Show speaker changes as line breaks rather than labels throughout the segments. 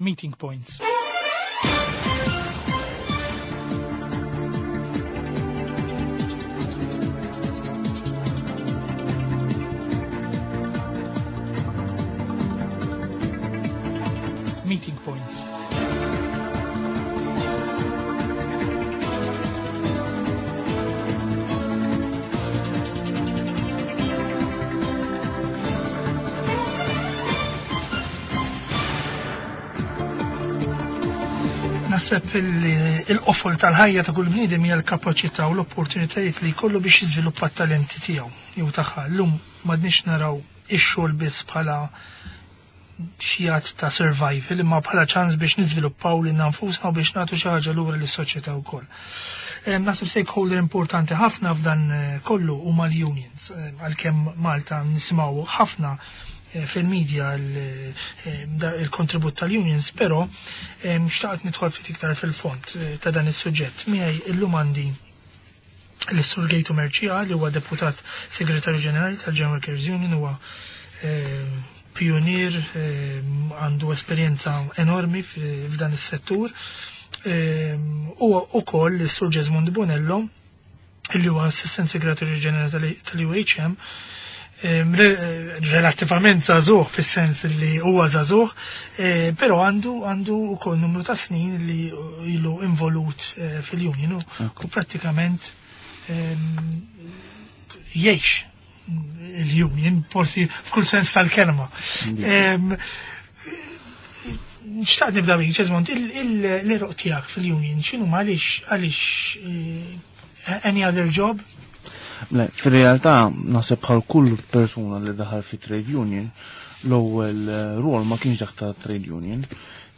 Meeting points. Meeting points. Naħseb il-qofol tal-ħajja ta' kull bniedem hija l-kapaċità u l-opportunitajiet li jkollu biex jiżviluppa t-talenti tiegħu jew tagħha. Llum m'għadniex naraw ix-xogħol biss bħala xi att ta' survival imma bħala ċans biex niżviluppaw lilna nfusna u biex nagħtu xi ħaġa lura lis-soċjetà wkoll. Naħseb stakeholder importanti ħafna f'dan eh, kollu huma l-unions eh, għalkemm Malta nisimgħu ħafna eh, fil-media il-kontribut tal-unions, però xtaqt nidħol ftit iktar fil-fond ta' dan is-suġġett. Miegħi illum għandi l-Sur Gejtu Merċija li huwa deputat segretarju ġenerali tal-General Workers Union huwa pionier għandu esperjenza enormi f'dan is-settur. U ukoll is-Sur Jesmond Bonello li huwa assistent segretarju ġenerali tal-UHM relattivament żagħżugħ fis-sens li huwa żagħżugħ, eh, però għandu għandu wkoll numru ta' snin li ilu involut eh, fil-union u prattikament jgħix il-union, forsi f'kull sens tal-kelma. Xtaqt nibda bik, Ġeżmond, l-eruq tiegħek fil-union, x'inhu għaliex għaliex eh, any other job?
Le, fil-realtà naħseb bħal kull persuna li daħal fi trade union, l-ewwel eh, rol ma kienx dak ta' trade union.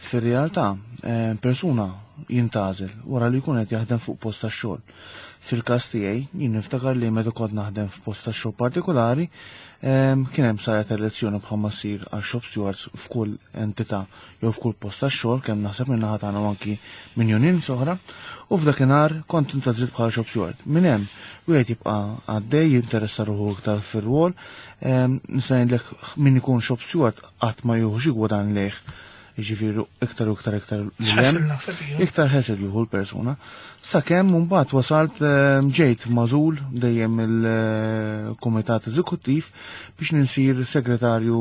Fir-realtà, eh, persuna jintgħażel wara li jkun qed jaħdem fuq post tax-xogħol. Fil-każ tiegħi, jien niftakar li meta kont naħdem f'post tax-xogħol partikolari, kien hemm saret elezzjoni bħalma ssir għal shop stewards f'kull entità jew f'kull post tax-xogħol kemm naħseb minn naħa tagħna u anki minn unions oħra, u f'dakinhar kont intgħażilt bħala shop steward. Minn hemm wieħed jibqa' għaddej jinteressa ruħu iktar fir-rwol, nista' ngħidlek min ikun shop steward qatt ma jieħu xi gwadann lejh jiġifieri iktar u iktar iktar iktar ħesel jieħu l-persuna. Sakemm mbagħad wasalt ehm, ġejt mażul dejjem il-Kumitat Eżekuttiv biex ninsir segretarju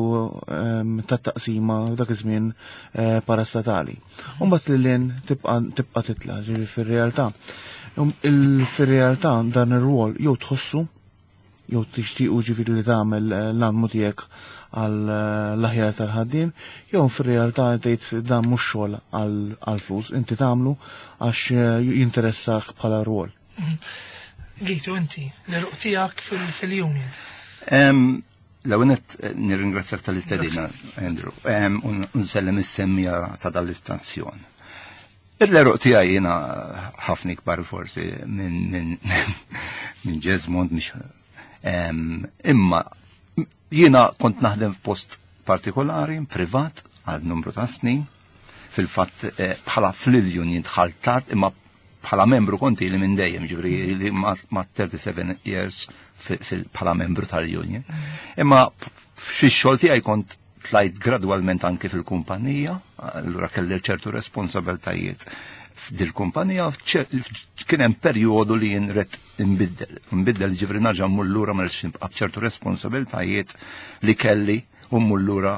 ehm, tat-taqsima dak iż-żmien eh, parastatali. Mbagħad lil lin tibqa' titla' ġifieri fir-realtà. Um, fir-realtà dan ir-rwol jew tħossu jew tixtiequ ġifieri li tagħmel eh, l-almu tiegħek għal eh, l-aħjar tal-ħaddiem, jew fir-realtà tgħid dan mhux xogħol għal flus, inti tagħmlu għax eh, jinteressak bħala rwol.
Mhm. Gitu inti, l-eruq tiegħek fil-union.
L-għunet nirringrazzjak tal-istedina, Andrew, unsellem is-semmija ta' dal-istazzjon. Il-eruq tiegħi jiena ħafna ikbar forsi minn minn Jesmond mhix imma jiena kont naħdem f'post partikolari, privat, għal numru ta' snin, fil-fatt eh, bħala fl-union dħalt tard imma bħala membru konti li minn dejjem ġifri li ma' 37 years bħala membru tal-union. Imma fix xogħol tiegħi kont tlajt gradwalment anki fil-kumpanija, allura kelli ċertu responsabiltajiet f'dil-kumpanija, kien hemm perjodu li jien ret nbiddel. Nbiddel ġifri narġa' mmur lura ma rridx nibqa' b'ċertu responsabiltajiet li kelli u mmur lura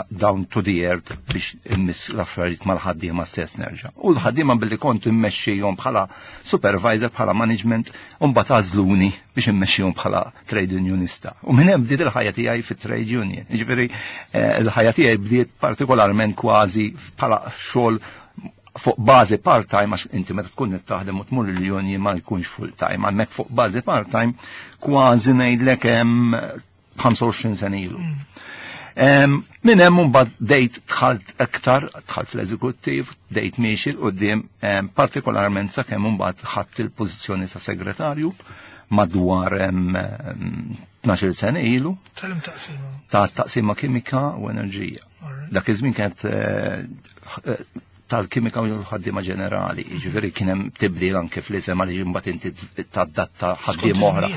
down to the earth biex immiss l-affarijiet mal-ħaddiema stess nerġa'. U l-ħaddiema billi kont immexxihom bħala supervisor, bħala management, u mbagħad għażluni biex immexxihom bħala trade unionista. U minn hemm bdiet il-ħajja tiegħi fit-trade union. Jiġifieri eh, l-ħajja tiegħi bdiet partikolarment kważi bħala xogħol fuq bażi part-time għax inti meta tkun qed taħdem u tmur il-union ma jkunx full-time, hemmhekk fuq bażi part-time kważi ngħidlek hemm 25 sena ilu. Mm. Minn hemm mbagħad dejt dħalt aktar, dħalt fl-eżekuttiv, dejt miexi l qudiem partikolarment sakemm imbagħad ħadd il-pożizzjoni ta' segretarju madwar 12 sena ilu.
Tal-taqsima.
Ta' taqsima kimika u enerġija. Dak iż-żmien kienet eh, eh, tal-kimika u l-ħaddiema ġenerali. Jiġifieri kien hemm tibdil anke fl-isem għaliex imbagħad inti tadatta ħaddiem oħra,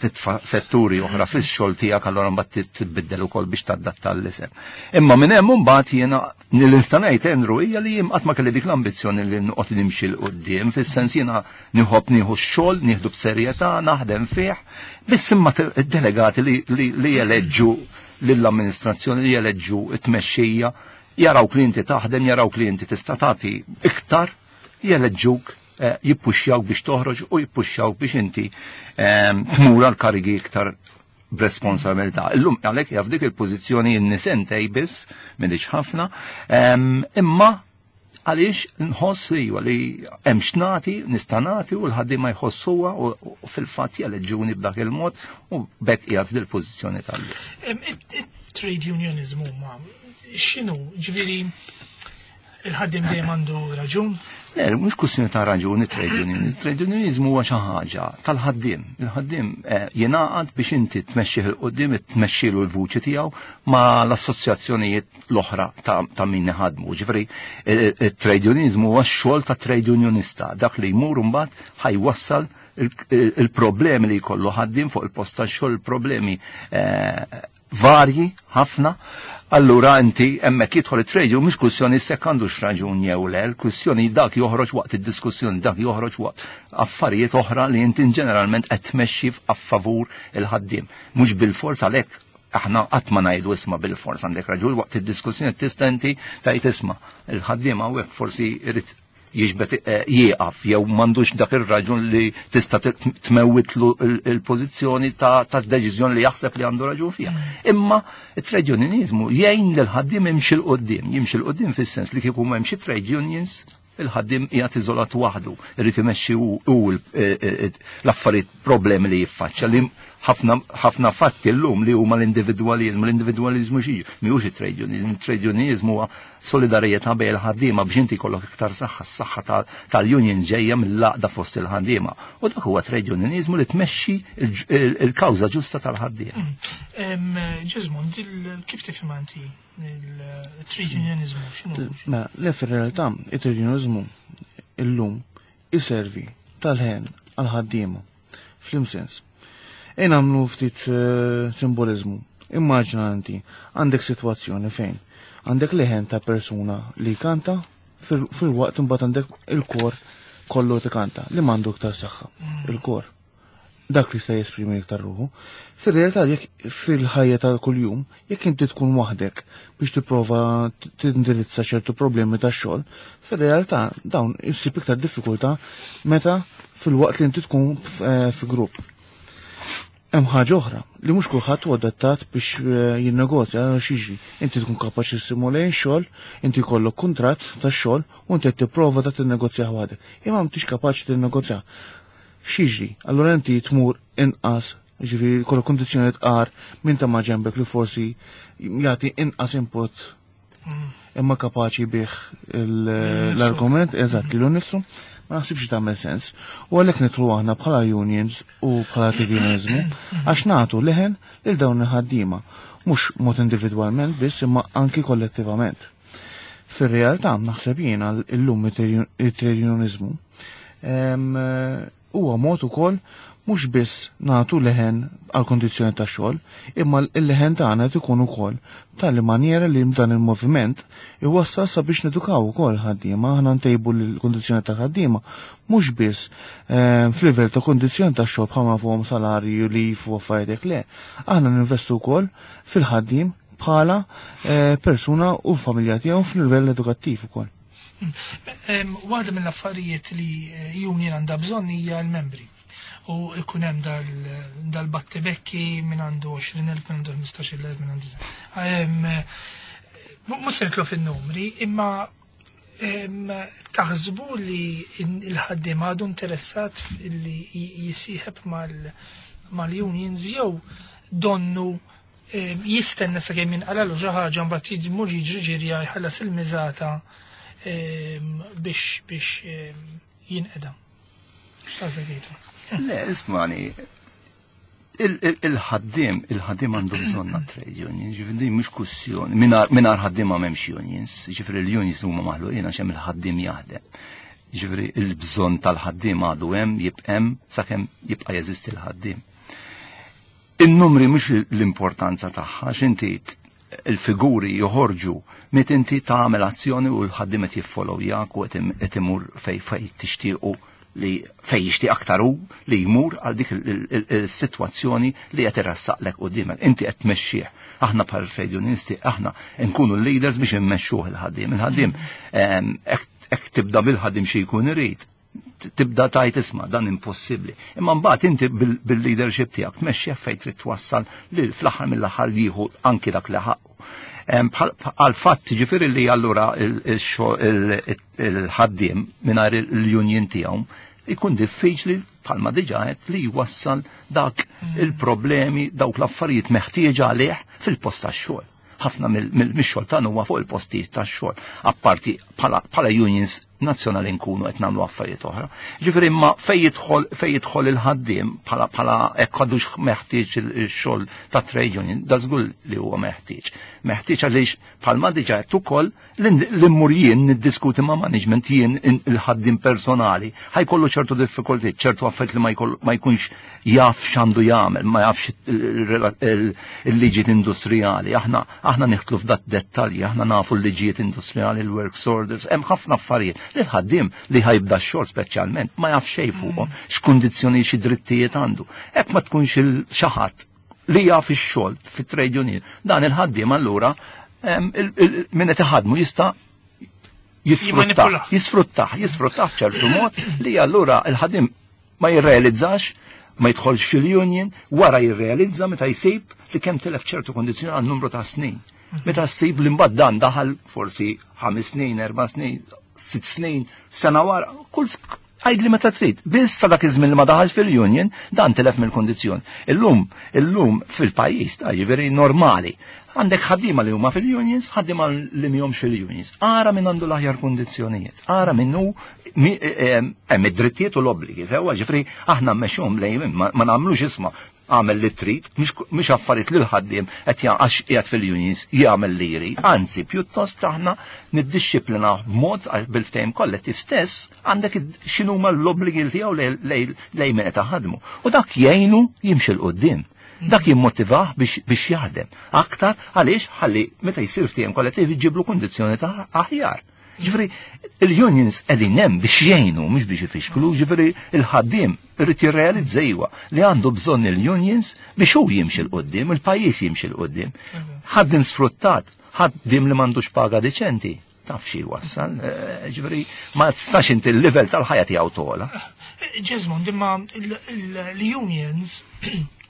titfa' setturi oħra fix-xogħol tiegħek allura mbagħad tbiddel ukoll biex tadatta l-isem. Imma minn hemm imbagħad jiena nista' ngħid Andrew hija li jien qatt ma kelli dik l-ambizzjoni li noqgħod nimxi 'l quddiem fis-sens jiena nħobb nieħu x-xogħol, nieħdu b'serjetà, naħdem fih, biss imma delegati li jeleġġu lill-amministrazzjoni li jeleġġu t-tmexxija jaraw li inti taħdem, jaraw li inti tista' tagħti iktar, jeleġġuk, eh, jippuxxjawk biex toħroġ u jippuxxjawk biex inti ehm, tmur għal karigi iktar b'responsabilità. Illum għalhekk jaf dik il-pożizzjoni n-nisentej biss m'inhiex ħafna, ehm, imma għaliex nħoss li li hemm x'nagħti, nista' nagħti u l-ħaddiema jħossuha u fil-fatt jeleġġuni b'dak il-mod u bekk qiegħed f'dil-pożizzjoni tal
Trade unionism huma x'inhu, ġifieri il-ħaddiem dejjem għandu raġun?
Le, mhux kwistjoni ta' raġuni trade union. Trade unionizmu huwa xi ħaġa tal-ħaddiem. Il-ħaddiem eh, jingħaqad biex inti tmexxih il qudiem tmexxilu l-vuċi tiegħu ma' l-assoċjazzjonijiet l-oħra ta' min iħadmu. Ġifieri eh, eh, trade unionizmu huwa x-xogħol ta' trade unionista, dak li jmur mbagħad ħajwassal il-problemi li jkollu ħaddiem fuq il-post tax-xogħol, il-problemi varji ħafna, allura inti hemmhekk jidħol it-trade union mhux kwistjoni sekk għandux raġun jew le, l-kwistjoni dak joħroġ waqt id-diskussjoni, dak joħroġ waqt affarijiet oħra li inti ġeneralment qed tmexxi favur il-ħaddiem. Mhux bil-fors għalhekk aħna qatt ma ngħidu isma' bil-fors għandek raġun waqt id-diskussjoni tista' inti tgħid isma' il-ħaddiem hawnhekk forsi irid jiġbed eh, jieqaf jew m'għandux dak ir-raġun li tista' tmewwitlu il-pożizzjoni ta' deċiżjoni li jaħseb li għandu raġun fiha. Mm. Imma it-trade unionizmu jgħin lil ħaddiem imxi l qudiem jimxi l qudiem fis-sens li kieku m'hemmx trade unions il-ħaddim qiegħed iżolat waħdu, irid imexxi hu eh, eh, l-affarijiet problemi li jiffaċċja li ħafna ħafna fatti llum li huma l-individwaliżmu, l-individwaliżmu xi mhijiex it-trade unionism, it-trade unionizmu huwa solidarjetà bejn il-ħaddiema biex inti jkollok iktar saħħa, s-saħħa tal-union ġejja mill-għaqda fost il-ħaddiema. U dak huwa trade unionizmu li tmexxi il-kawża ġusta tal-ħaddiema.
Mm. Ġiżmund, kif tifhem inti il-trade unionizmu? X'inhu?
Mela, le fir-realtà, it-trade unionizmu illum iservi tal-ħen għal-ħaddiema. Fl-imsens. Ejn għamlu ftit eh, simbolizmu. Immaġina inti għandek sitwazzjoni fejn għandek leħen ta' persuna li kanta fil-waqt imbagħad għandek il-kor kollu tikanta li m'għandu iktar saħħa. Mm. Il-kor. Dak li sta jesprimi iktar ruħu. Fir-realtà jekk fil-ħajja ta' kuljum, jekk inti tkun waħdek biex tipprova tindirizza ċertu problemi ta' xogħol, fir-realtà dawn issib iktar diffikultà meta fil-waqt li inti tkun eh, fi grupp. Hemm ħaġa oħra li mhux kulħadd huwa adattat biex eh, jinnegozja għal jiġri. Inti tkun kapaċi simulejn xogħol, inti jkollok kuntratt tax-xogħol u inti qed tipprova ta' tinnegozja waħdek. Imma m'intix kapaċi tinnegozja. X'jiġri? Allura inti tmur inqas ġifieri jkollok kundizzjoni tqar minn ta' ma' ġembek li forsi jagħti inqas input imma kapaċi bih l-argument, eżatt, li l-nifsu, ma naħsibx tagħmel sens. U għalhekk nitlu aħna bħala unions u bħala tribunalizmu għax nagħtu leħen lil dawn il-ħaddiema, mhux mod individwalment biss imma anki kollettivament. Fir-realtà naħseb jiena llum it-trade Huwa mod ukoll mhux biss nagħtu leħen għal kondizzjoni ta' xogħol, imma l-leħen tagħna qed ikun ukoll tali manjera li dan il-moviment iwassal sabiex nedukaw ukoll ħaddiema, aħna ntejbu l-kondizzjoni ta' ħaddiema mhux biss eh, f'livell ta' kondizzjoni ta' xogħol bħalma fuqhom salarju li u affarijiet le. Aħna ninvestu wkoll fil-ħaddiem bħala eh, persuna u l-familja tiegħu f'livell edukattiv ukoll.
Waħda mill-affarijiet li eh, union għandha bżonn hija l-membri. U ikun hemm dal-battibekki minn għandu 20,000, minn għandu 15,000, minn għandu. Mhux se nitlu fin-numri, imma taħsbu li l-ħaddiem għadu interessat li jisieħeb mal-unions jew donnu jistenna sakemm jinqalalu xi ħaġa mbagħad jmur jiġri ġirja jħallas il-miżata biex biex jinqeda. X'taħseb
Le, ismani. Il-ħaddiem, il-ħaddiem għandu bżonn trade union, ġifieri din mhux kwistjoni. Mingħajr ħaddiem ma m'hemmx unions, ġifieri l-unions huma maħluqin għax hemm il-ħaddiem jaħdem. Ġifieri il-bżonn tal-ħaddiem għadu hemm, jibqa' hemm sakemm jibqa' jeżisti l-ħaddiem. In-numri mhux l-importanza tagħha, x'inti il-figuri joħorġu met inti tagħmel azzjoni u l-ħaddiem qed jiffollowjak u qed imur fej fej tixtiequ li fej jixtieq aktar hu li jmur għal dik il-sitwazzjoni li qed irrassaqlek quddiemek. Inti qed tmexxih. Aħna bħal trade unionisti, aħna nkunu l-leaders biex immexxuh il-ħaddiem. Il-ħaddiem hekk tibda bil-ħaddiem xi jkun irid tibda tajt isma' dan impossibbli. Imma mbagħad inti bil-leadership tiegħek tmexxi fejn trid twassal li fl-aħħar mill-aħħar jieħu anki dak li ħaqqu. Għal fatt ġifieri li allura il-ħaddiem mingħajr il-union tiegħu ikun diffiċli bħalma diġà qed li jwassal dak il-problemi, dawk l-affarijiet meħtieġa għalih fil-post tax-xogħol. Ħafna mill-xogħol tagħna huwa fuq il-postijiet tax-xogħol. Apparti bħala unions nazzjonali nkunu qed nagħmlu affarijiet oħra. Ġifieri imma fejn jidħol il-ħaddiem bħala hekk għadux meħtieġ il-xogħol ta' trade union, da żgur li huwa meħtieġ. Meħtieġ għaliex bħalma diġà qed ukoll l-immur jien niddiskuti ma' management jien il-ħaddiem personali ħajkollu ċertu diffikultiet, ċertu affarijiet li ma jkunx jaf x'għandu jagħmel, ma jafx il-liġijiet industrijali. Aħna niħtlu f'dat dettalji, aħna nafu l-liġijiet industrijali, l-works orders, hemm ħafna affarijiet li l-ħaddiem li ħajbda x-xogħol speċjalment ma jaf xejn fuqhom, x'kundizzjoni xi drittijiet għandu. Hekk ma tkunx xi ħadd li jaf ix-xogħol fit-trade union, dan il-ħaddiem allura min qed iħadmu jista' jisfruttah ċertu mod li allura il-ħaddiem ma jirrealizzax, ma jidħolx fil-union, wara jirrealizza meta jsib li kemm tilef ċertu kondizzjoni għal numru ta' snin. Meta ssib li mbagħad dan daħal forsi 5 snin, 4 snin, 6 snin, sena wara, kull għajd li meta trid. Biss sa dak iż-żmien li ma daħalx fil-union, dan tilef mill-kondizzjoni. Illum fil-pajjiż ta' jiġifieri normali. Għandek ħaddiema li huma fil-unions, ħaddiema li mhomx fil-unions. Ara min għandu l-aħjar kundizzjonijiet, ara min hu hemm id-drittijiet u l-obbligi. Sewwa ġifri aħna mmexxuhom lejn ma nagħmlux isma' għamel li trid, mhux affarijiet li l-ħaddiem qed għax qiegħed fil-unions jagħmel li jrid. Anzi, pjuttost aħna niddixxiplina b'mod bil-ftehim kollettiv stess għandek x'inhuma l-obbligi tiegħu lejn min qed ħadmu. U dak jgħinu jimxi 'l quddiem. Dak jimmotivah biex jaħdem. Aktar għaliex ħalli meta jsir ftehim kollettiv iġiblu kundizzjoni ta' aħjar. Ġifieri il-unions qegħdin hemm biex jgħinu mhux biex ifixklu, ġifieri il-ħaddiem irid jirrealizza iwa li għandu bżonn il-unions biex hu jimxi 'l quddiem, il-pajjiż jimxi 'l quddiem. Ħaddiem sfruttat, ħaddiem li m'għandux paga deċenti, taf xi wassal, ġifieri ma tistax inti l-livell tal-ħajja tiegħu tola.
Jesmond, imma l-unions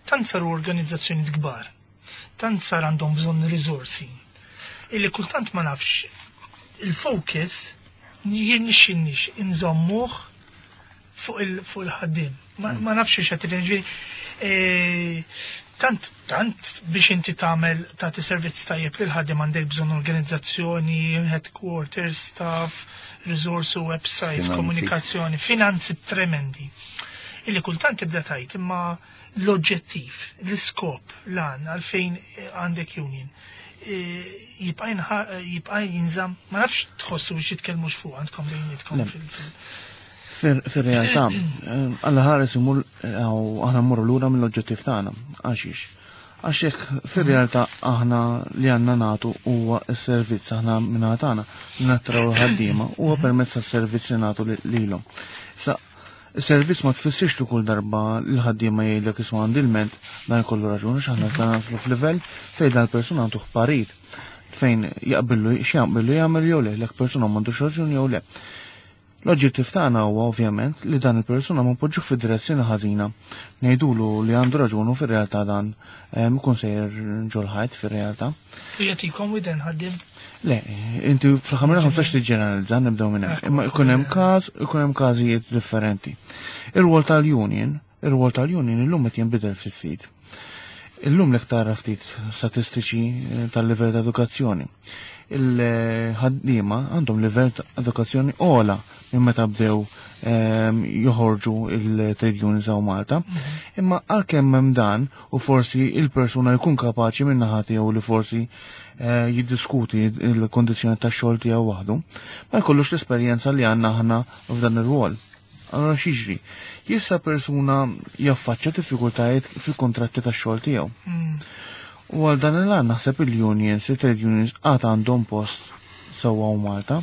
tant saru organizzazzjoni kbar, tant sar għandhom bżonn riżorsi, illi kultant ma nafx il-focus jirnixxinix inżommuh fuq il-ħaddiem. Ma nafx x'qed tifhem, ġifieri, tant biex inti tagħmel tagħti servizz tajjeb lil ħaddiem għandek bżonn organizzazzjoni, headquarters, staff, resource, websites,
Finanzi.
komunikazzjoni, finanzi tremendi. Illi kultant tibda tajt imma l-oġġettiv, l-iskop, l-għan għalfejn għandek union, jibqa' jinżamm, ma nafx tħossu biex jitkellmux fuq għandkom bejnietkom
Le.
fil-
Fil-realtà, Alla ħares imur, aħna mmorru lura mill-oġġettiv tagħna. Għaxiex? Għax hekk fir-realtà aħna li għandna nagħtu huwa s-servizz aħna minn tagħna li nattraw ħaddiema huwa permezz tas-servizz li nagħtu lilhom. Sa is-servizz ma tfissirx li kull darba l-ħaddiema jgħidlek isma' għandi l-ment dan jkollu raġuni x'aħna se naslu f'livell fejn dan il-persuna għandu parir fejn jaqbillu x'jaqbillu jagħmel jew le, l persuna m'għandux raġuni jew le. L-oġġettiv tagħna huwa ovvjament li dan il-persuna ma npoġġuh fid-direzzjoni ħażina. Ngħidulu li għandu raġunu fir-realtà dan ikun sejjer ġol-ħajt fir-realtà.
U jagħtikom widen ħaddiem?
Le, inti fl-aħħar mill-aħħar ma tistax tiġġeneralizza, nibdew minn hemm. Imma ikun hemm każ, ikun hemm każijiet differenti. Ir-rwol tal-union, ir-rwol tal-union illum qed jinbidel fis-sit. Illum lek tara ftit statistiċi tal-livell ta' edukazzjoni. Il-ħaddiema għandhom livell ta' edukazzjoni ogħla minn meta bdew joħorġu il-trade unions hawn Malta. Imma għalkemm hemm dan u forsi il-persuna jkun kapaċi minn naħa tiegħu li forsi jiddiskuti il-kondizzjoni tax-xogħol tiegħu waħdu, ma jkollux l-esperjenza li għandna aħna f'dan ir-rwol. Allora x'jiġri? Jista' persuna jaffaċċja diffikultajiet fil-kontratti tax-xogħol tiegħu. U għal dan il-għan naħseb il-unions, il-trade unions għad għandhom post sewwa u Malta.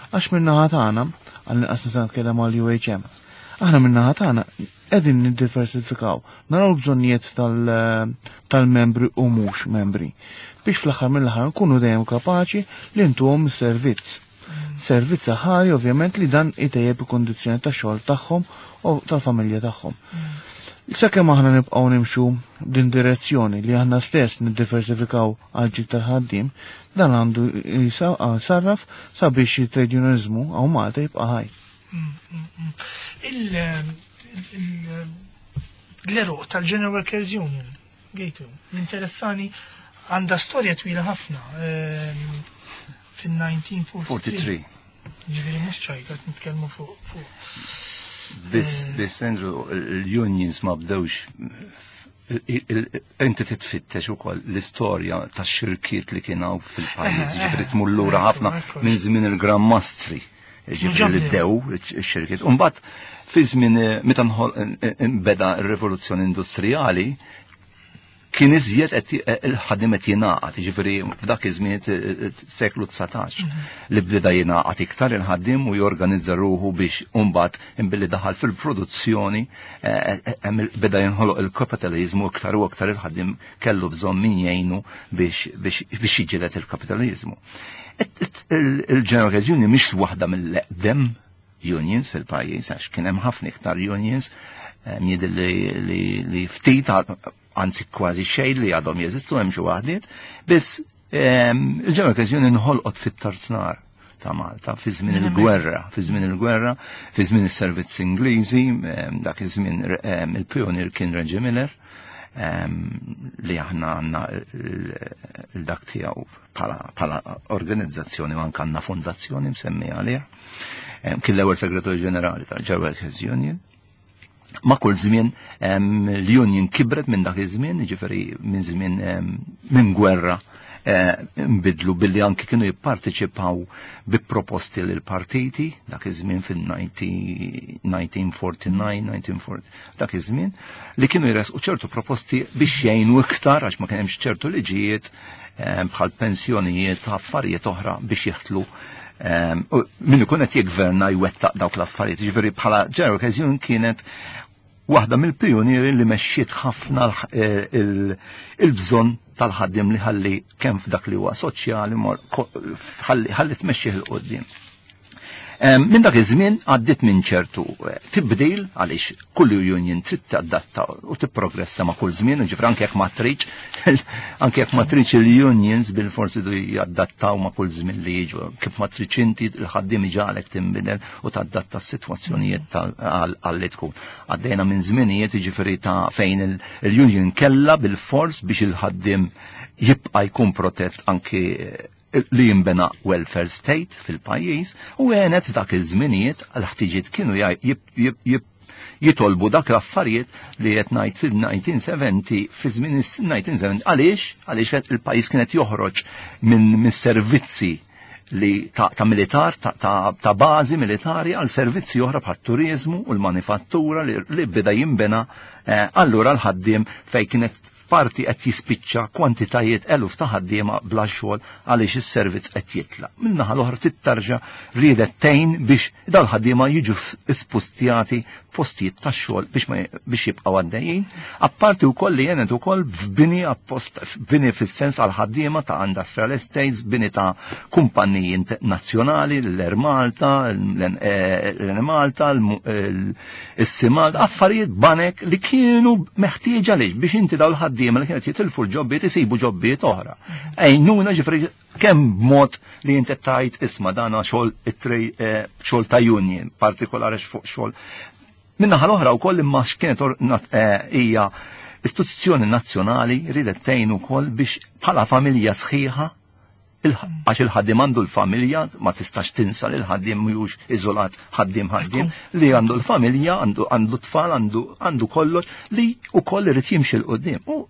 Għax min-naħa tagħna, għall-inqas nista' nitkellem għal UHM, aħna min-naħa tagħna qegħdin niddiversifikaw, naraw bżonnijiet tal-membri u mhux membri biex fl-aħħar mill-aħħar nkunu dejjem kapaċi li ntuhom servizz. Servizz aħari ovvjament li dan itejjeb il-kondizzjoni tax-xogħol tagħhom u tal-familja tagħhom. Sakemm aħna nibqgħu nimxu din direzzjoni li aħna stess niddiversifikaw għal ġid tal-ħaddiem, dan għandu jsarraf sabiex it-trade unionizmu hawn Malta jibqa' ħaj.
L-eruq tal-General Workers Union, Gejtu, interessani għandha storja twila ħafna fin-1943. Ġifieri mhux ċajta qed nitkellmu fuq.
Biss Andrew, l-unions ma bdewx inti titfittex ukoll l-istorja tax-xirkiet li kien hawn fil-pajjiż, ġifieri tmur lura ħafna minn żmien il-Gran Mastri, ġifieri li bdew ix-xirkiet. U mbagħad fi żmien meta nbeda r-rivoluzzjoni industrijali kien iżjed qed il-ħadim qed jingħaqad, jiġifieri f'dak iż-żmien seklu 19 li bdeda jingħaqad iktar il-ħaddiem u jorganizza ruħu biex imbagħad imbilli daħal fil-produzzjoni beda jinħoloq il-kapitaliżmu iktar u aktar il-ħaddiem kellu bżonn min jgħinu biex jiġġieled il-kapitaliżmu. Il-General Workers Union mhix waħda mill-eqdem unions fil-pajjiż, għax kien hemm ħafna iktar unions, jidher li ftit, anzi kważi xejn li għadhom jeżistu, hemm xi waħdiet, biss il-General Workers Union inħolqot fit-tarsnar ta' Malta, fi żmien il-gwerra, fi żmien il-gwerra, fi żmien is-servizz Ingliżi, dak iż-żmien il-pionier kien Reggie Miller, li aħna għandna il-dak tiegħu bħala organizzazzjoni u anke għandna fondazzjoni msemmija għaliha. Kien l-ewwel segretarju ġenerali tal-General Workers Union. Ma' kull żmien l-union kibret minn dak iż-żmien, jiġifieri minn żmien minn gwerra nbidlu billi anki kienu jipparteċipaw bi proposti lil partiti dak iż-żmien fil-1949, 1940, dak iż-żmien li kienu jresqu ċertu proposti biex jgħinu iktar għax ma kien hemmx ċertu liġijiet bħal pensjonijiet, affarijiet oħra biex jeħtlu min ikun qed jiggverna jwettaq dawk l-affarijiet. Ġifieri bħala General Workers Union kienet waħda mill-pionieri li mexxiet ħafna il-bżonn tal-ħaddiem li ħalli kemm f'dak li huwa soċjali ħalli tmexxih 'il quddiem. Minn dak iż-żmien għaddiet minn ċertu tibdil għaliex kull union trid tadatta u tipprogressa ma' kull żmien, ġifri anke jekk ma tridx, anke jekk ma tridx il-unions bil-forsi du jadattaw ma' kull żmien li jiġu. Kif ma tridx inti il-ħaddiem iġalek tinbidel u tadatta s-sitwazzjonijiet għal li tkun. Għaddejna minn żminijiet jiġifieri ta' fejn il-union kella bil-fors biex il-ħaddiem jibqa' jkun protett anke li jimbena welfare state fil-pajjiż u għenet dak iż-żminijiet għal ħtiġiet kienu jitolbu dak l-affarijiet li qed ngħid fil-1970, fi żmien is-1970. Għaliex? Għaliex il-pajjiż kienet joħroġ minn servizzi li ta' militar, ta' bażi militari għal servizzi oħra bħat turizmu u l-manifattura li beda jimbena, allura l-ħaddiem fej kienet parti qed jispiċċa kwantitajiet eluf ta' ħaddiema bla xogħol għaliex is-servizz qed jitlaq. Min-naħa l-oħra tittarġa riedet tgħin biex dal-ħaddiema jiġu spustjati postijiet tax-xogħol biex jibqgħu għaddejjin. Apparti wkoll li jenet ukoll f'bini appost, f'bini fis-sens għal ħaddiema ta' industrial estates, bini ta' kumpanniji nazzjonali, l-Air Malta, l-Enemalta, is-Simal, affarijiet banek li kienu meħtieġa għaliex biex inti dawn l-ħaddiema li kienet jitilfu l-ġobbiet isibu ġobbiet oħra. Ejnuna ġifri kemm b'mod li inti tajt isma' dana xogħol it-trej xogħol ta' union, partikolari fuq xogħol. Min-naħa l-oħra wkoll imma x'kienet hija istituzzjoni nazzjonali ridet tgħin ukoll biex bħala familja sħiħa Għax il-ħaddiem għandu l-familja, ma tistax tinsa li l-ħaddiem mhux iżolat ħaddiem ħaddiem, li għandu l-familja, għandu tfal, għandu kollox, li wkoll irid jimxi 'l quddiem. U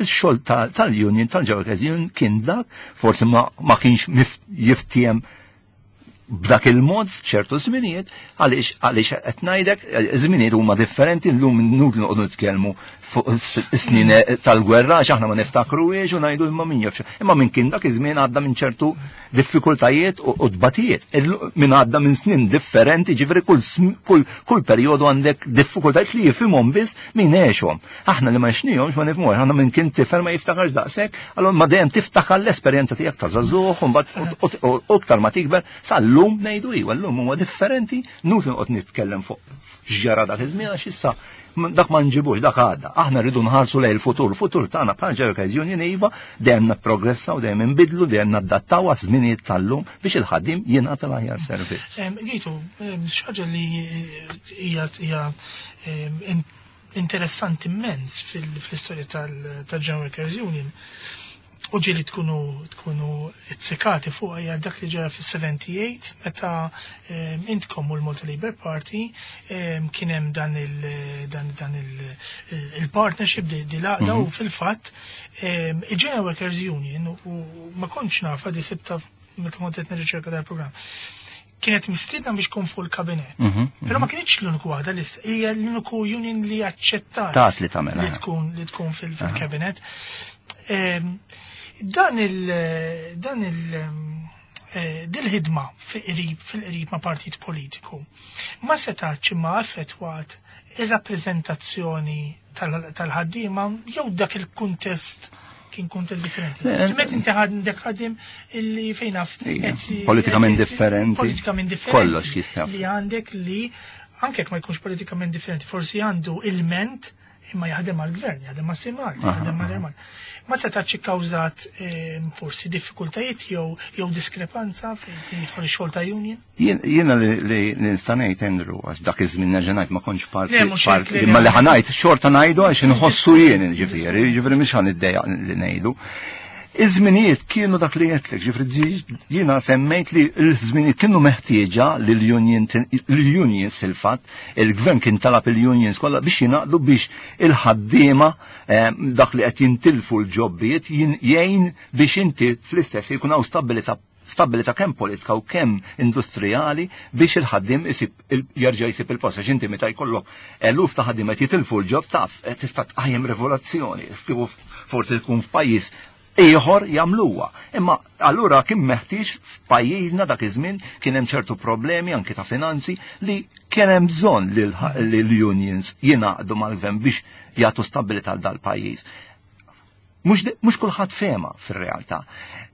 x-xogħol tal-union, tal-Workers Union kien dak, forsi ma kienx jiftiem b'dak il-mod f'ċertu żminijiet, għaliex qed ngħidek żminijiet huma differenti llum inutli noqogħdu nitkellmu fuq is-snin tal-gwerra għax aħna ma niftakruhiex u ngħidu imma min jaf. Imma minn kien dak iż-żmien għadda minn ċertu diffikultajiet u tbatijiet. Min għadda minn snin differenti, ġifieri kull perjodu għandek diffikultajiet li jifhimhom biss min għexhom. Aħna li ma għexnihomx ma nifhmuhx, aħna minn kien tifel ma jiftakarx daqshekk, allura ma dejjem tiftakar l-esperjenza tiegħek ta' żagħżugħ u mbagħad u iktar ma tikber sal-lum ngħidu iva, llum huwa differenti, nutli noqgħod nitkellem fuq x'ġara dak iż-żmien għax issa dak ma nġibux, dak għadda. Aħna rridu nħarsu lejn il-futur, il-futur tagħna bħala Workers Union iva dejjem nipprogressaw, dejjem inbidlu, dejjem nadattaw għaż-żminijiet tal-lum biex il-ħaddiem jingħata l-aħjar servizz.
Gitu, xi ħaġa li hija interessanti immens fl-istorja tal-General Workers Union u ġieli tkunu tkunu izzikati fuq hija dak li ġara fis-78 meta intkom u l-Malta Labour Party kien hemm dan il dan dan il-partnership di l-għaqda u fil-fatt il-General Workers Union, u ma kontx nafa di sibta meta kont qed nirriċerka dal-programm, kienet mistiedna biex tkun fuq il-kabinet. Però ma kienx l-uniku waħda li hija l-uniku union li aċċettat
Tat li tagħmel,
li tkun fil-kabinet. Dan il dan il eh, dil-ħidma fil-qrib ma' partit politiku ma setax ma affettwat ir-rappreżentazzjoni tal-ħaddiema jew dak il-kuntest kien kuntest differenti? Met inti għandek ħaddiem illi fejn naf
Politikament differenti.
Politikament differenti.
Kollox jista'
Li għandek li anke jekk ma jkunx politikament differenti, forsi għandu ilment imma jaħdem għal-gvern, jaħdem ma' Simal, jaħdem ma' Remal. Ma setax ikkawżat forsi diffikultajiet jew diskrepanza fejn jidħol ix-xogħol ta' union?
Jiena li nista' ngħid, Andrew, għax dak iż-żmien nerġa' ngħid ma kontx parti
Le, mhux hekk,
parti
le,
imma
le.
li ħa ngħid xorta ngħidu għax inħossu jien, ġifieri mhux ħa niddejjaq li ngħidu. Iż-żminijiet kienu dak li għedtlek, ġifieri jiena semmejt li l-żminijiet kienu meħtieġa li l-unions fil-fatt, il-gvern kien talab il-unions kollha biex jingħaqdu biex il-ħaddiema dak li qed jintilfu l-ġobbijiet jgħin biex inti fl-istess jkun hawn stabilità kemm politika u kemm industrijali biex il-ħaddiem jerġa' jsib il-post. Għax inti meta jkollok eluf ta' ħaddiem qed jitilfu l-ġob taf, tista' tqajjem rivoluzzjoni. Kieku forsi tkun f'pajjiż ieħor jagħmluha. Imma allura kien meħtieġ f'pajjiżna dak iż-żmien kien hemm ċertu problemi anke ta' finanzi li kien hemm bżonn li l-unions jingħaqdu mal-gvern biex jagħtu stabilità għal dal-pajjiż. Mhux kulħadd fehma fir-realtà.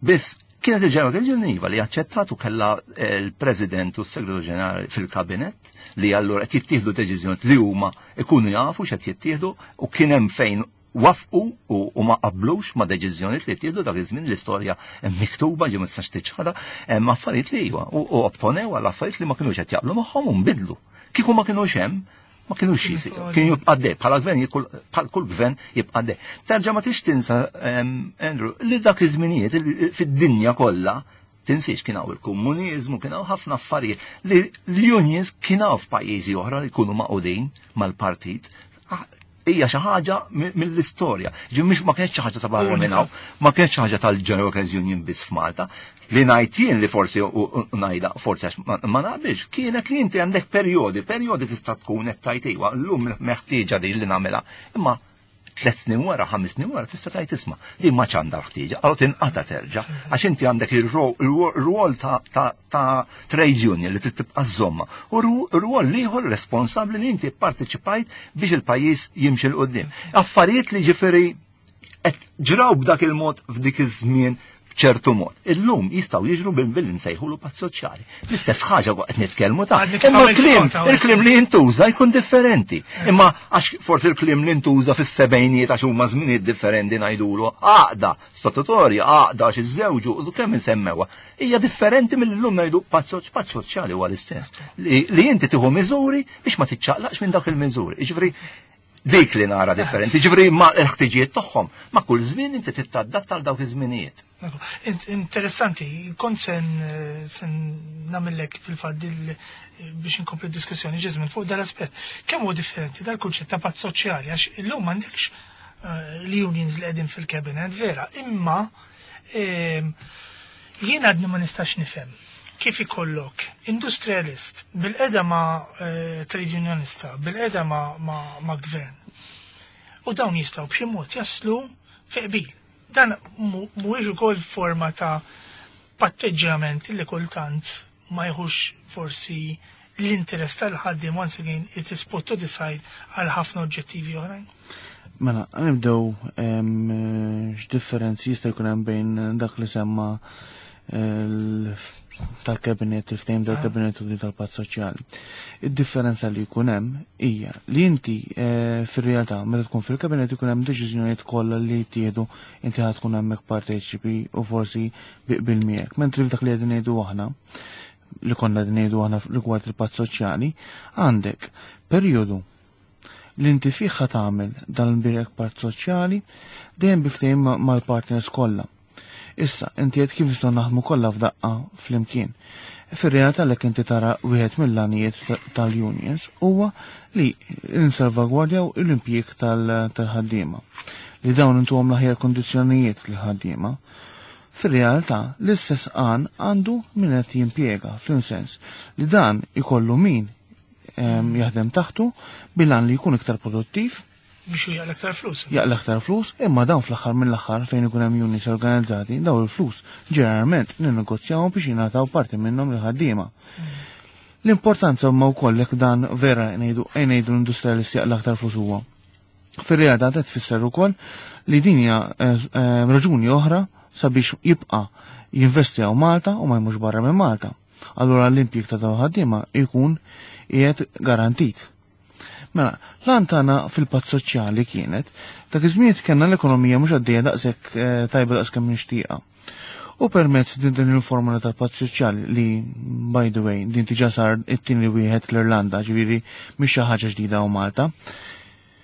Biss kienet il-General Union li aċċettat u kellha l-President u s-Segretarju Ġenerali fil-Kabinet li allura qed jittieħdu deċiżjoni li huma ikunu jafu x'qed jittieħdu u kien hemm fejn wafqu u ma qablux ma deċiżjonijiet li ttieħdu dak iż-żmien. L-istorja hemm miktuba ġi ma tistax tiċħadha, hemm affarijiet li iva u opponew għal affarijiet li ma kinux qed jaqblu magħhom u nbidlu. Kieku ma kinux hemm, ma kinux jisiru, kien jibqa' dej, bħala gvern bħal kull gvern jibqa' dej. Terġa' ma tix tinsa, Andrew, li dak iż-żminijiet fid-dinja kollha tinsiex kien hawn il-komuniżmu, kien hawn ħafna affarijiet li l-unions kien hawn f'pajjiżi oħra li jkunu maqudin mal-partit. Hija xi ħaġa mill-istorja. Ġi mhux ma kienx xi ħaġa ta' barra minn hawn, ma kienx xi ħaġa tal-General Workers Union biss f'Malta. Li ngħid jien li forsi u ngħidha forsi għax ma naqbilx, kienet li inti għandek perjodi, perjodi tista' tkun qed tgħid iva, llum meħtieġa din li nagħmilha. Imma 3 snin wara, 5 snin wara, tista' tgħid isma' li ma għandha ħtieġa, allura tinqata terġa', għax inti għandek ir-rwol ta' trade union li trid tibqa' żomma u r-rwol ieħor responsabbli li inti pparteċipajt biex il-pajjiż jimxi 'l quddiem. Affarijiet li ġifieri qed ġraw b'dak il-mod f'dik iż-żmien ċertu mod. Illum jistgħu jiġru bil nsejħulu patt soċjali. L-istess ħaġa qed nitkellmu ta'
Għadni kif
imma
għamilt
l-kliem,
kont hawnhekk.
il-kliem li jintuża jkun differenti. Imma għax forsi il-kliem li jintuża fis-sebgħinijiet għax huma żminijiet differenti ngħidulu għaqda statutorja, għaqda għax iżżewġu, u kemm insemmewha. Hija differenti mill-lum ngħidu patt soċjali huwa l-istess. Li inti tieħu miżuri biex ma tiċċaqlaqx minn dak il-miżuri. Jiġifieri Dik li nara differenti, ġifri ma l-ħtiġijiet tagħhom, ma kull żmien inti tittadatta għal dawk iż-żminijiet.
Interessanti, kont sen sen nagħmellek fil-fatt biex inkompli diskussjoni ġiżmin fuq dal-aspett. Kemm huwa differenti dal-kunċett ta' patt soċjali għax illum m'għandekx l-unions li qegħdin fil-cabinet vera, imma jien għadni ma nistax nifhem kif ikollok industrialist bil-qeda ma' trade unionista, bil-qeda ma' gvern. U dawn jistgħu b'xi mod jaslu fi qbil. Dan mhuwiex ukoll forma ta' patteġġjament li kultant ma jħux forsi l-interess tal-ħaddiem, once again it is put to the side għal ħafna oġġettivi oħrajn.
Mela, nibdew x'differenzi jista' jkun hemm bejn dak li semma tal-kabinet, il-ftehim tal-kabinet u tal-patt soċjali. Id-differenza li jkun hemm hija li inti fir-realtà meta tkun fil-kabinet ikun hemm deċiżjonijiet kollha li jittieħdu, inti ħad tkun hemmhekk parteċipi u forsi biqbil miegħek. Mentri f'dak li qegħdin ngħidu aħna, li konna qegħdin ngħidu aħna rigward il-patt soċjali, għandek perjodu li inti fih ħa tagħmel dan il-birek patt soċjali dejjem biftehim mal-partners kollha. Issa, inti qed kif nistgħu naħdmu kollha f'daqqa flimkien. Fir-realtà li inti tara wieħed mill-għanijiet tal-unions huwa li nsalvagwardjaw l-impjieg tal-ħaddiema. Li dawn intuhom l-aħjar kondizzjonijiet lill-ħaddiema. Fir-realtà l-istess għan għandu min qed jimpjega, fl-sens li dan ikollu min jaħdem taħtu bil-għan li jkun iktar produttiv,
biex jaqla aktar flus.
Jaqla aktar flus, imma dawn fl-aħħar mill-aħħar fejn ikun hemm units organizzati, dawn il-flus ġeneralment ninnegozjawhom biex jingħataw parti minnhom lil-ħaddiema. L-importanza huma wkoll jekk dan vera ngħidu l-industrialisti jaqla aktar flus huwa. Fir-realtà qed tfisser ukoll li din hija raġuni oħra sabiex jibqa' jinvesti hawn Malta u ma jmurx barra minn Malta. Allura l-impjieg ta' dawn ħaddiema jkun qiegħed garantit. Mela, l-għan tagħna fil-patt soċjali kienet dak iż-żmien kellna l-ekonomija mhux għaddejja daqshekk tajba daqs kemm nixtieqha. U permezz din il-formula tal-patt soċjali li, by the way, din diġà sar it-tieni wieħed l-Irlanda, ġifieri mhix xi ħaġa ġdida u Malta.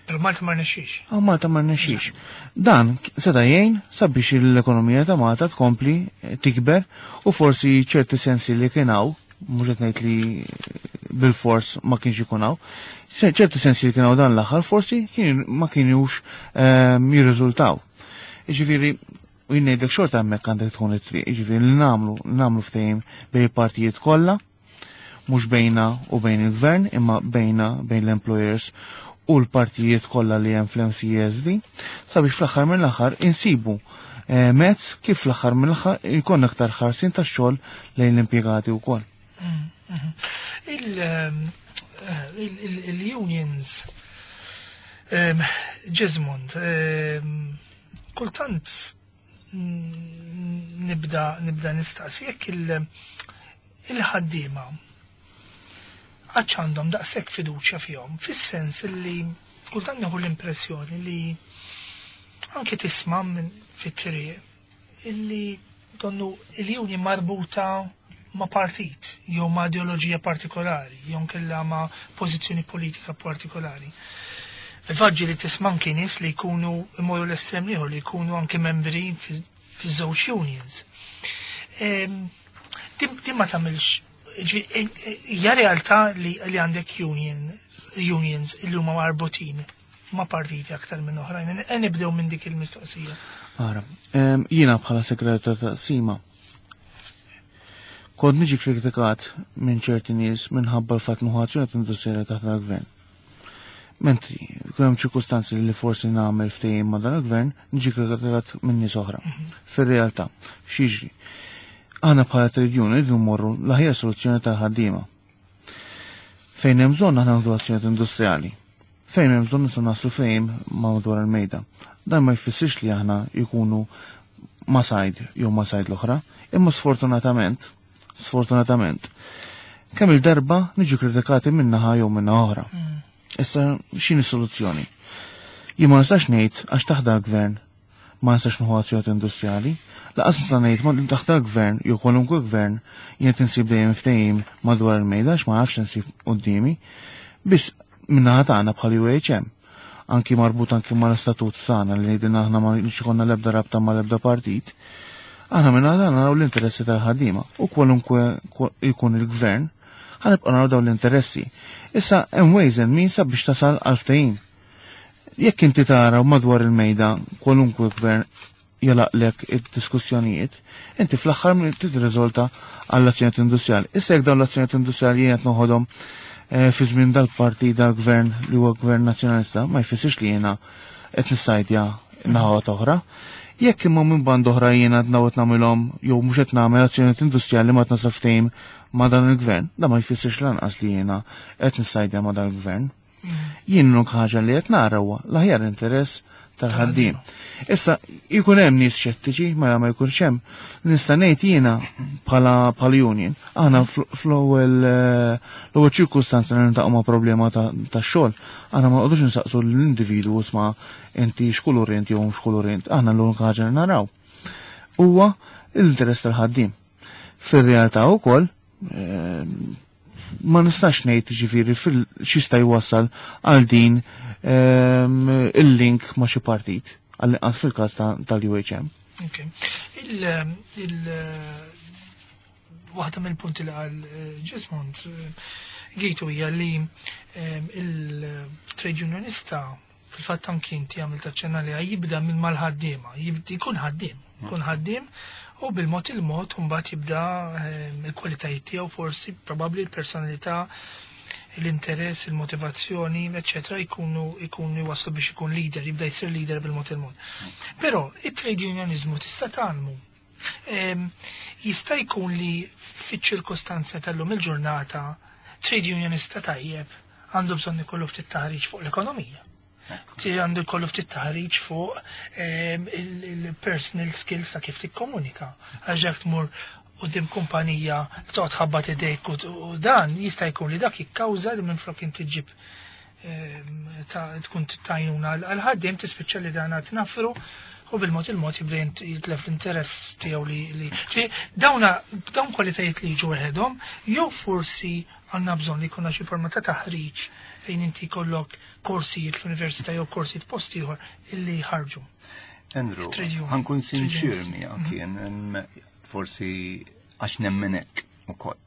Però Malta ma rnexxix.
Ah, Malta ma rnexxix. Dan seta' jgħin sabiex l-ekonomija ta' Malta tkompli tikber u forsi ċerti sensi li kien hawn, mhux qed ngħid li bil-fors ma kienx ikun hawn, ċerti sensi li kien hawn dan l-aħħar forsi ma kienux jirriżultaw. Jiġifieri, u jien ngħidlek xorta hemmhekk għandek tkun it-triq, jiġifieri li nagħmlu ftehim bejn partijiet kollha, mhux bejna u bejn il-gvern, imma bejna bejn l-employers u l-partijiet kollha li hemm fl-MCESD, sabiex fl-aħħar mill-aħħar insibu mezz kif fl-aħħar mill-aħħar jkun aktar ħarsin tax-xogħol lejn l-impjegati wkoll.
Il-unions, Jesmond, kultant nibda nistaqsi jekk il-ħaddiema għadx għandhom daqshekk fiduċja fihom, fis-sens li kultant nieħu l-impressjoni li anke tisma' minn fit-triq illi donnu il-union marbuta ma' partit jew ma' ideoloġija partikolari jew nkella ma' pożizzjoni politika partikolari. Fil-fatt li tisma' anke nies li jkunu imorru l-estrem ieħor li jkunu anke membri fi żewġ unions. Din ma tagħmilx, hija realtà li għandek unions li huma marbutin ma' partiti aktar minn oħrajn. Nibdew minn dik il-mistoqsija.
Ara, jiena bħala segretarju ta' Sima kont niġi kritikat minn ċerti nies minħabba l-fatt nieħu azzjoni industrijali taħt il-gvern. Mentri, kien hemm ċirkustanzi li forsi nagħmel ftehim ma' dan il-gvern, niġi kritikat minn nies oħra. Fir-realtà, x'jiġri? Aħna bħala trade union irridu mmorru l-aħjar soluzzjoni tal-ħaddiema. Fejn hemm bżonn aħna nagħmlu azzjoni industrijali. Fejn hemm bżonn nistgħu naslu fejn ma' madwar il-mejda. Dan ma jfissirx li aħna jkunu ma' side jew ma' side l-oħra, imma sfortunatament, kemm il-darba niġu kritikati minn naħa jew minn oħra. Issa x'inhi soluzzjoni? Jien ma nistax ngħid għax taħt gvern ma nistax nieħu azzjoni industrijali, laqas nista' ngħid ma taħt gvern jew kwalunkwe gvern jien qed insib dejjem ftehim madwar il-mejda għax ma nafx insib quddiemi. Biss min-naħa tagħna bħal UHM. anki marbut anki mal-istatut tagħna li ngħidilna aħna ma ikollna l-ebda rabta mal-ebda partit, aħna minn għadha naraw l-interessi tal-ħaddiema u kwalunkwe jkun il-gvern ħa nibqa' naraw dawn l-interessi. Issa hemm ways and means sabiex tasal għal ftehim. Jekk inti tara madwar il-mejda kwalunkwe gvern jalaqlek id-diskussjonijiet, inti fl-aħħar tirriżolta għall-azzjonijiet industrijali. Issa jekk dawn l-azzjonijiet industrijali jien qed noħodhom fi żmien dal-partit dal-gvern li huwa gvern nazzjonalista, ma jfissirx li jiena qed nissajdja naħa oħra. Jekk imma minn band oħra jiena qed qed nagħmilhom jew mhux qed nagħmel azzjonijiet industrijali ma qed ftehim ma' dan il-gvern, da ma jfissirx lanqas li jiena qed nissajdja ma' dan il-gvern. Jien l ħaġa li qed nara huwa l-aħjar interess tal-ħaddiem. Issa jkun hemm nies xettiċi, mela ma jkunx hemm. Nista' ngħid jiena bħala bħala union, aħna fl-ewwel l-ewwel ċirkustanza li niltaqgħu ma' problema tax-xogħol, aħna ma noqogħdux insaqsu l-individwu isma' inti x'kulur int jew x'kulur int, aħna l-unika ħaġa li naraw huwa l-interess tal-ħaddiem. Fir-realtà wkoll ma nistax ngħid ġifieri x'jista' jwassal għal din il-link ma' xi partit għall-inqas fil-każ tal-UHM.
Ok. Waħda mill-punti li qal Jesmond Gitu hija li il-trade unionista fil-fatt anki inti għamilt aċċenna li jibda minn mal-ħaddiema, jkun ħaddiem, jkun ħaddiem u bil-mod il-mod mbagħad jibda il-kwalitajiet tiegħu forsi probabbli l-personalità, l-interess, il-motivazzjoni, eccetera, jkunu jwaslu biex ikun leader, jibda jsir leader bil-mod il-mod. Però it-trade unionizmu tista' tgħallmu. Jista' jkun li fiċ-ċirkostanza tal-lum il-ġurnata trade unionista tajjeb għandu bżonn ikollu ftit taħriġ fuq l-ekonomija. Għandu jkollu ftit taħriġ fuq il-personal skills ta' kif tikkomunika. Għax jekk tmur quddiem kumpanija toqgħod ħabbat idejk u dan jista' jkun li dak jikkawża li minflok inti ġib tkun tajnuna għal-ħaddiem tispiċċa li dan tnaffru u bil-mod il-mod jibda jitlef l-interess tiegħu li dawna dawn kwalitajiet li jiġu weħedhom jew forsi għandna bżonn li jkollna xi forma ta' taħriġ fejn inti jkollok korsijiet l-università jew korsijiet post ieħor illi jħarġu.
Andrew,
Trade union.
ħa nkun
Trade
sinċir
unions.
miegħek jien forsi għax nemmenek ukoll.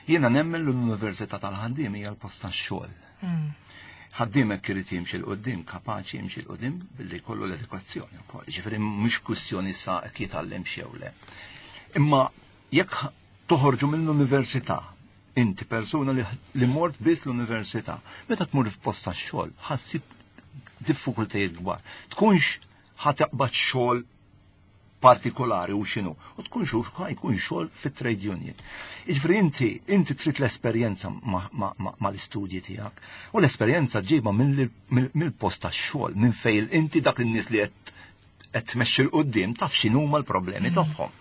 Jiena nemmen l-Università tal-ħaddiem hija l-post tax-xogħol. Ħaddiem hekk irid jimxi 'l quddiem, kapaċi jimxi 'l quddiem billi jkollu l-edukazzjoni wkoll. Ġifieri mhux kwistjoni sa jekk jitgħallem xew le. Imma jekk toħorġu mill-università, inti persuna li mort biss l-università, meta tmur f'post tax-xogħol, ħa ssib diffikultajiet kbar. Tkunx ħa taqbad xogħol partikolari u xinu, u tkun xu ħa jkun xogħol fit-trade union. Jiġifieri inti trid l-esperjenza mal-istudji tiegħek. U l-esperjenza ġiba mill-post tax-xogħol, minn fejn inti dak in-nies li qed tmexxi 'l quddiem taf x'inhuma l-problemi tagħhom.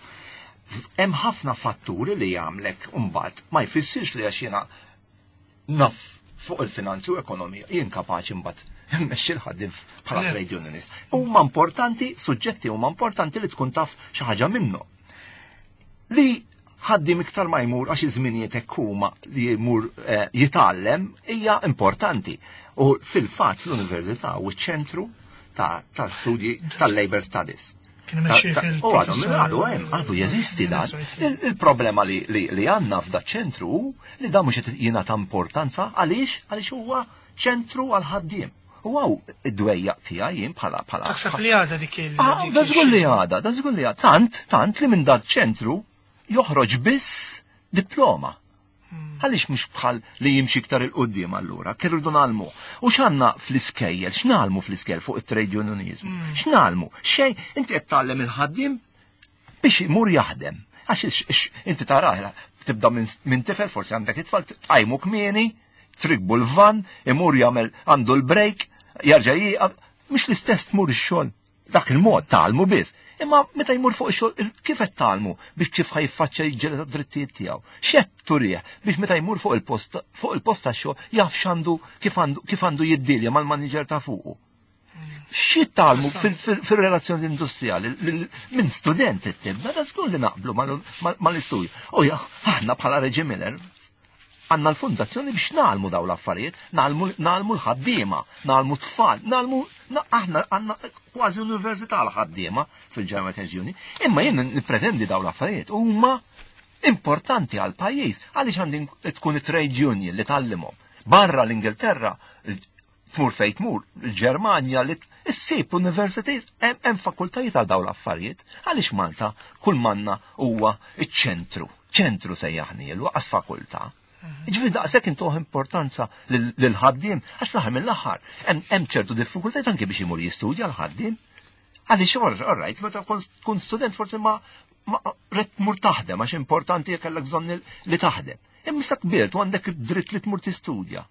Hemm ħafna fatturi li jagħmlek imbagħad ma jfissirx li għax jiena naf fuq il-finanzi u ekonomija jien kapaċi mbagħad mmexxi l-ħaddiem bħala trade unionist. Huma importanti, suġġetti huma importanti li tkun taf xi ħaġa minnhom. Li ħaddiem iktar ma jmur għax iż-żminijiet hekk huma li jmur jitgħallem hija importanti. U fil-fatt l-università u ċ-ċentru ta' studji tal-Labor Studies.
Kien imexxi fil-
U għadu, għadu, hemm, għadu jeżisti dan. Il-problema li għandna f'da ċentru hu li dan mhux qed jingħata importanza għaliex għaliex huwa ċentru għal ħaddiem. U għaw id-dwejjaq tiegħi jien bħala
Taħseb li għadha dik il-
Ah,
dik
da żgur li
il-xisma.
għadha, da żgur li għadha. Tant, tant li minn dat ċentru joħroġ biss diploma. Għaliex mhux bħal li jimxi iktar 'il quddiem allura, kif irridu ngħallmu. U x'għandna fl-iskejjel, x'ngħallmu fl-iskejjel fuq it-trade unionizmu? X'ngħallmu? Xejn, inti qed tgħallem il-ħaddiem biex imur jaħdem. Għax inti taraħ, tibda minn tifel, forsi għandek it-tfal, tqajmu kmieni, trikbu l-van, imur jagħmel għandu l-break, jarġa' jieqaf, mhux l-istess tmur ix-xogħol. Dak il-mod tgħallmu biss. Imma meta jmur fuq ix-xogħol, kif qed tgħallmu biex kif ħa jiffaċċja jiġġieled għad-drittijiet tiegħu? X'qed turih biex meta jmur fuq il-post tax-xogħol jaf x'għandu, kif għandu jiddilja mal-manager ta' fuqu. Xi tgħallmu fil-relazzjoni industrijali minn student tibda, da żgur li naqblu mal-istudju. U ja, aħna bħala Reġi Miller Għandna l-fundazzjoni biex nagħlmu dawn l-affarijiet, nagħlmu l-ħaddiema, nagħlmu tfal, nagħlmu aħna għandna kważi università l-ħaddiema fil-General Workers Union, imma jien nippretendi dawn l-affarijiet huma importanti għal pajjiż għaliex għandi tkun trade union li tgħallimhom. Barra l-Ingilterra, tmur fejn tmur, il-Ġermanja li issib universitajiet hemm fakultajiet għal dawn l-affarijiet. Għaliex Malta kull manna huwa iċ-ċentru, ċentru sejjaħnielu għas fakultà. Ġifieri daqshekk intuh importanza lil-ħaddiem, għax fl-aħħar mill-aħħar hemm ċertu diffikultajiet anke biex imur jistudja l-ħaddiem. Għaliex all right, meta tkun student forsi ma rrid tmur taħdem għax importanti kellek bżonn li taħdem. Imma sa kbirt u għandek id-dritt li tmur tistudja.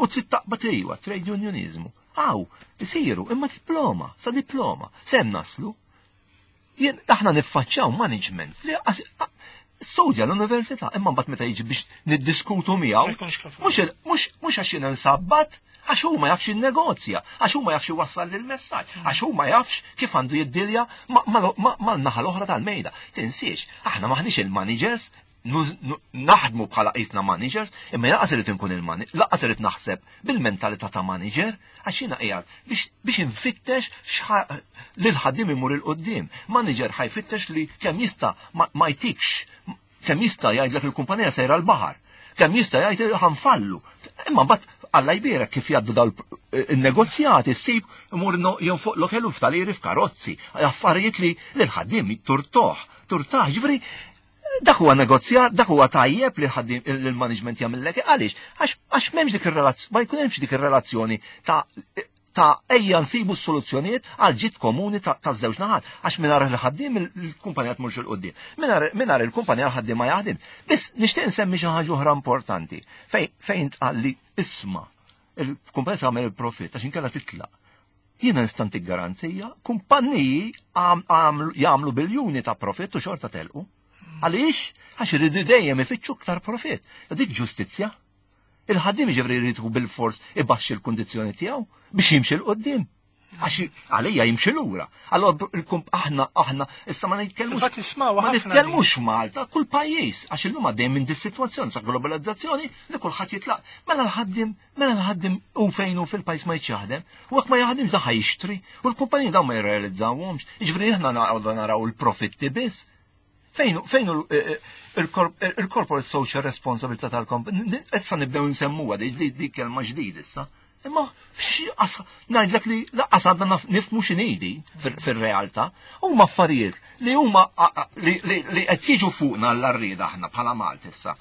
U trid taqbad ejwa, trade unionizmu. Aw, isiru, imma diploma, sa diploma, sem naslu. Jien aħna niffaċċjaw management li studja l-università, imma mbagħad meta jiġi biex niddiskutu miegħu, mhux għax jiena nsabbat, għax hu ma jafx in-negozja, għax hu ma jafx iwassal lill-messaġġ, għax hu ma jafx kif għandu jiddilja mal-naħa l-oħra tal-mejda. Tinsiex, aħna maħniex il-managers, naħdmu bħala qisna managers, imma lanqas irid inkun il-manager, lanqas irid naħseb bil-mentalità ta' manager, għax jiena qiegħed biex infittex li l-ħaddiem imur 'il quddiem. Manager ħa jfittex li kemm jista' ma jtikx, kemm jista' jgħidlek il-kumpanija sejra l-baħar, kemm jista' jgħid ħa nfallu. Imma mbagħad Alla jbierek kif jgħaddu daw il-negozjati, ssib imur jonfoq l-eluf tal-liri f'karozzi, affarijiet li l-ħaddiem turtoh, turtaħ, ġifieri dak huwa negozjar, dak huwa tajjeb li ħaddiem il-management jagħmellek għaliex għax m'hemmx dik ir-relazzjoni, ma jkun hemmx dik ir-relazzjoni ta' ejja nsibu s-soluzzjonijiet għal ġid komuni ta' żewġ naħat. Għax mingħajr il-ħaddiem il-kumpanija tmurx 'il quddiem. Mingħajr il-kumpanija l-ħaddiem ma jaħdem. Biss nixtieq nsemmi xi ħaġa oħra importanti fejn tqal li isma' il-kumpanija tagħmel il-profit għax inkella titlaq. Jiena nista' ntik garanzija, kumpanniji jagħmlu biljuni ta' profit u xorta telqu. Għaliex? Għax iridu dejjem ifittxu iktar profit. Dik ġustizzja. Il-ħaddiem ġifieri jrid bil-fors ibaxxi l-kundizzjoni tiegħu biex jimxi 'l quddiem. Għax għalija jimxi lura. Allora aħna issa ma nitkellmux. Ma nitkellmux Malta, kull pajjiż, għax illum għaddej minn dis-sitwazzjoni ta' globalizzazzjoni li kulħadd jitlaq. Mela l-ħaddiem u fejn hu fil-pajjiż ma jaħdem, u jekk ma jaħdimx dan jixtri, u l-kumpaniji dawn ma jirrealizzawhomx. Jiġifieri aħna naraw il-profitti biss. Fejn il-corporate social responsibility tal-company, issa nibdew nsemmuha di kelma ġdid issa. Imma ngħidlek li lanqas għadna nifhmu x'inhi fir-realtà. Huma affarijiet li huma li qed jiġu fuqna l-arrieda aħna bħala Malti issa.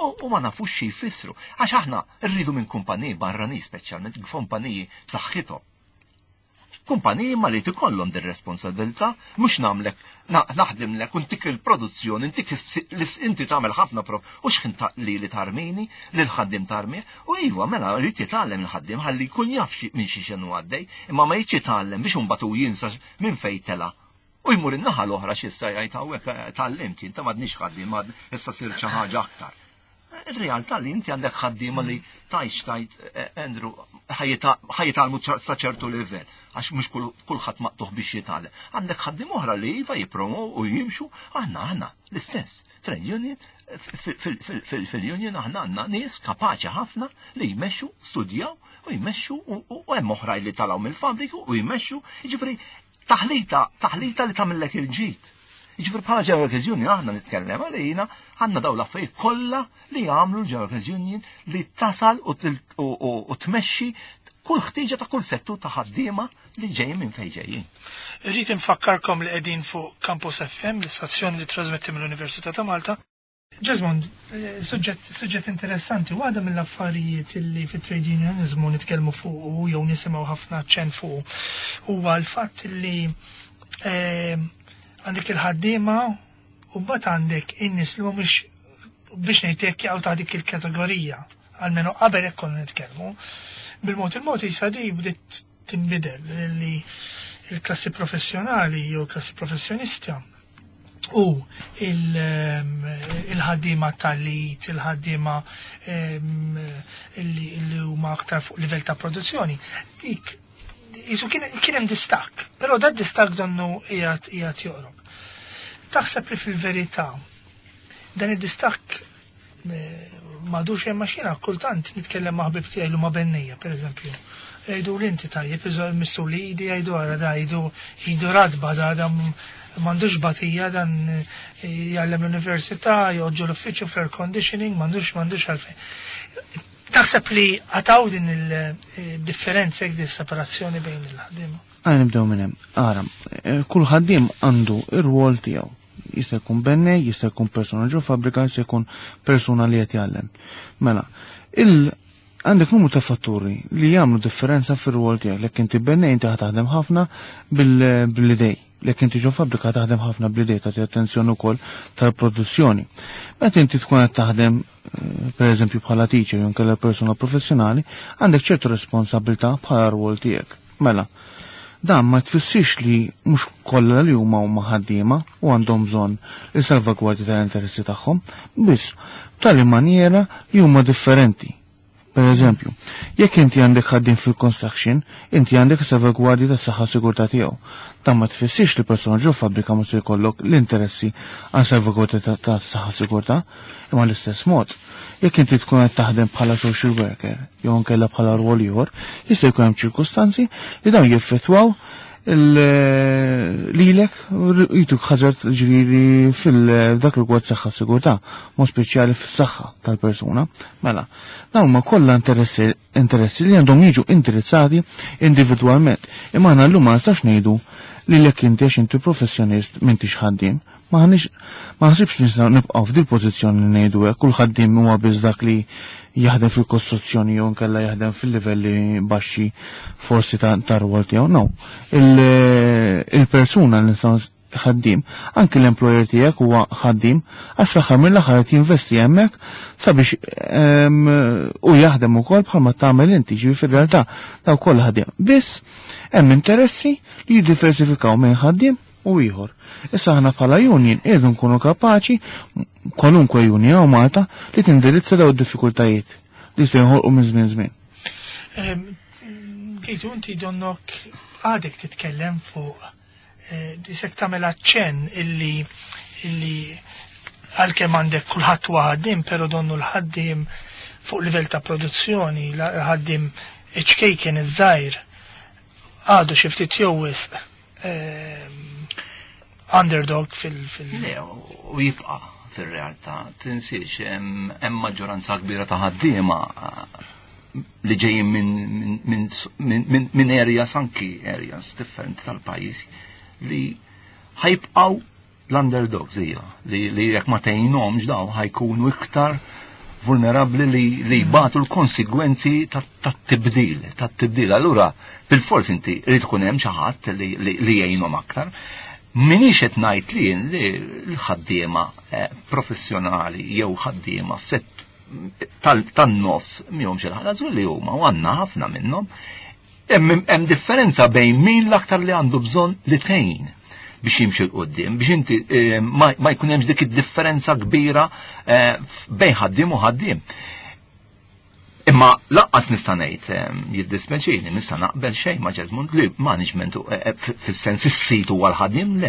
U ma nafux xi jfissru. Għax aħna rridu minn kumpaniji barranin speċjalment kumpaniji b'saħħithom. Kumpaniji ma li tikollhom din responsabilità, mhux nagħmlek naħdimlek u ntik il-produzzjoni, ntik inti tagħmel ħafna pro u x'ħin li tarmini, li l-ħaddiem tarmi, u iva mela rrid jitgħallem il-ħaddiem ħalli jkun jaf minn xi xenu għaddej, imma ma jridx jitgħallem biex imbagħad hu jinsa minn fejn tela. U jmur in-naħa l-oħra x'issa jgħid hawnhekk tgħallimt jien ta' m'għadniex ħaddiem issa sir xi ħaġa aktar. Ir-realtà li inti għandek ħaddiema li tajx tajt Andrew ħa jitgħallmu sa ċertu livell għax mhux kulħadd maqtuħ biex jitgħallem. Għandek ħaddiem oħra li iva jippromow u jimxu, aħna l-istess. Trade union, fil-union aħna għandna nies kapaċi ħafna li jmexxu, studjaw u jmexxu u hemm oħra li talgħu mill-fabriku u jmexxu, jiġifieri taħlita li tagħmellek il-ġid. Jiġifieri bħala General Workers Union aħna nitkellem għalina għandna dawn l-affarijiet kollha li jagħmlu l-General Workers Union li tasal u tmexxi kull ħtieġa ta' kull settur ta' ħaddiema li ġejjin minn fejn ġejjin.
Irrid infakkarkom li qegħdin fuq Campus FM, l-istazzjoni li trasmetti mill-Università ta' Malta. Jesmond, suġġett interessanti, waħda mill-affarijiet li fit-trade unionizmu nitkellmu fuq jew nisimgħu ħafna ċen fuq huwa l-fatt li għandek il-ħaddiema u mbagħad għandek in-nies li mhumiex biex ngħidlek jaqgħu ta' dik il-kategorija, almenu qabel hekk konna nitkellmu. Bil-mod il-mod issa di bdiet tinbidel li il-klassi professjonali jew il-klassi professjonista u il-ħaddiema tal-lit, il-ħaddiema li huma aktar fuq livell ta' produzzjoni, dik jisu kien hemm distakk, però dad distakk donnu qiegħed joqrob. Taħseb li fil-verità dan id-distakk. M'għadux hemm għax jiena kultant nitkellem ma' ħbieb tiegħi li huma bennejja, pereżempju. Jgħidu li inti tajjeb, missu li idi jgħidu ara da jgħidu idu radba da da m'għandux batija dan jgħallem l-università, joqgħod l-uffiċċju fl-air conditioning, m'għandux m'għandux għalfejn. Taħseb li għataw din il-differenza jekk din separazzjoni bejn il-ħaddiema?
Għajn nibdew minn hemm. Ara, kull ħaddiem għandu ir-rwol tiegħu. Jista' jkun bennej, jista' jkun persuna ġo fabbrika, jista' jkun persuna li qed jgħallem. Mela, il għandek numru ta' fatturi li jagħmlu differenza fir-rwol tiegħek. Lek inti bennej inti taħdem ħafna bil-idej. Lek inti ġo fabbrika taħdem ħafna bl-idej tagħti attenzjoni wkoll tal-produzzjoni. Meta inti tkun qed taħdem eh, per eżempju bħala teacher jew inkella persuna professjonali, għandek ċertu responsabilità bħala rwol tiegħek. Mela, dan ma tfissirx li mhux kollha li huma huma ħaddiema u għandhom bżonn il-salvagwardja tal-interessi tagħhom, biss b'tali maniera li huma differenti. Per eżempju, jekk inti għandek ħaddiem fil-construction, inti għandek salvagwardja tas saħħa sigurtà tiegħu. Dan ma tfissirx li persuna ġo fabbrika mhux se jkollok l-interessi għal salvagwardja tas saħħa sigurtà, imma l-istess mod. Jekk inti tkun qed taħdem bħala social worker jew inkella bħala rwol ieħor, jista' jkun hemm ċirkustanzi li dawn jeffettwaw lilek jituk ħaġa ġifieri fil-dak rigward saħħa sigurtà, mod speċjali fis-saħħa tal-persuna. Mela, dawn huma kollha interessi interessi li għandhom jiġu indirizzati individwalment. Imma aħna llum ma nistax ngħidu li lek inti għax inti professjonist m'intix ħaddiem. Ma ħanix ma ħsibx nistgħu nibqgħu f'dil pożizzjoni li ngħidu hekk kull ħaddiem huwa biss dak li jaħdem fil-kostruzzjoni jew nkella jaħdem fil-livelli baxxi forsi ta' rwol tiegħu. No. Il-persuna li nistgħu ħaddiem, anki l-employer tiegħek huwa ħaddiem, għax fl-aħħar mill-aħħar qed jinvesti hemmhekk sabiex u jaħdem ukoll bħalma tagħmel inti, ġifieri fir-realtà daw kollha ħaddiem. Biss hemm interessi li jiddiversifikaw minn ħaddiem u ieħor. Issa aħna bħala union irridu nkunu kapaċi kwalunkwe union hawn Malta li tindirizza daw id-diffikultajiet li se jinħolqu minn żmien żmien.
Kejtu inti donnok għadek titkellem fuq disek tagħmel aċċenn illi illi għalkemm għandek kulħadd huwa ħaddiem, però donnu l-ħaddiem fuq livell ta' produzzjoni, l-ħaddiem iċ-ċkejken iż-żgħir għadu xi ftit jew wisq underdog fil-.
Le, u jibqa' fir-realtà, tinsiex hemm maġġoranza kbira ta' ħaddiema li ġejjin minn areas anki areas differenti tal-pajjiż li ħajbqgħu l-underdogs hija li jekk ma tgħinhomx daw ħajkunu iktar vulnerabbli li jbatu l-konsegwenzi tat-tibdil, tat-tibdil. Allura, bil-fors inti rrid ikun hemm xi ħadd li jgħinhom aktar. Minix qed ngħid li li l-ħaddiema professjonali jew ħaddiema f'sett tan-nofs mihomx il-ħadd żgur li huma u għandna ħafna minnhom. Hemm differenza bejn min l-aktar li għandu bżonn li tgħin biex jimxi 'l quddiem, biex inti ma jkun hemmx dik id-differenza kbira bejn ħaddiem u ħaddiem. Imma lanqas nista' ngħid jiddispeċini, nista' naqbel xejn ma' Jesmond li management fis-sens is-sit huwa l-ħaddiem, le,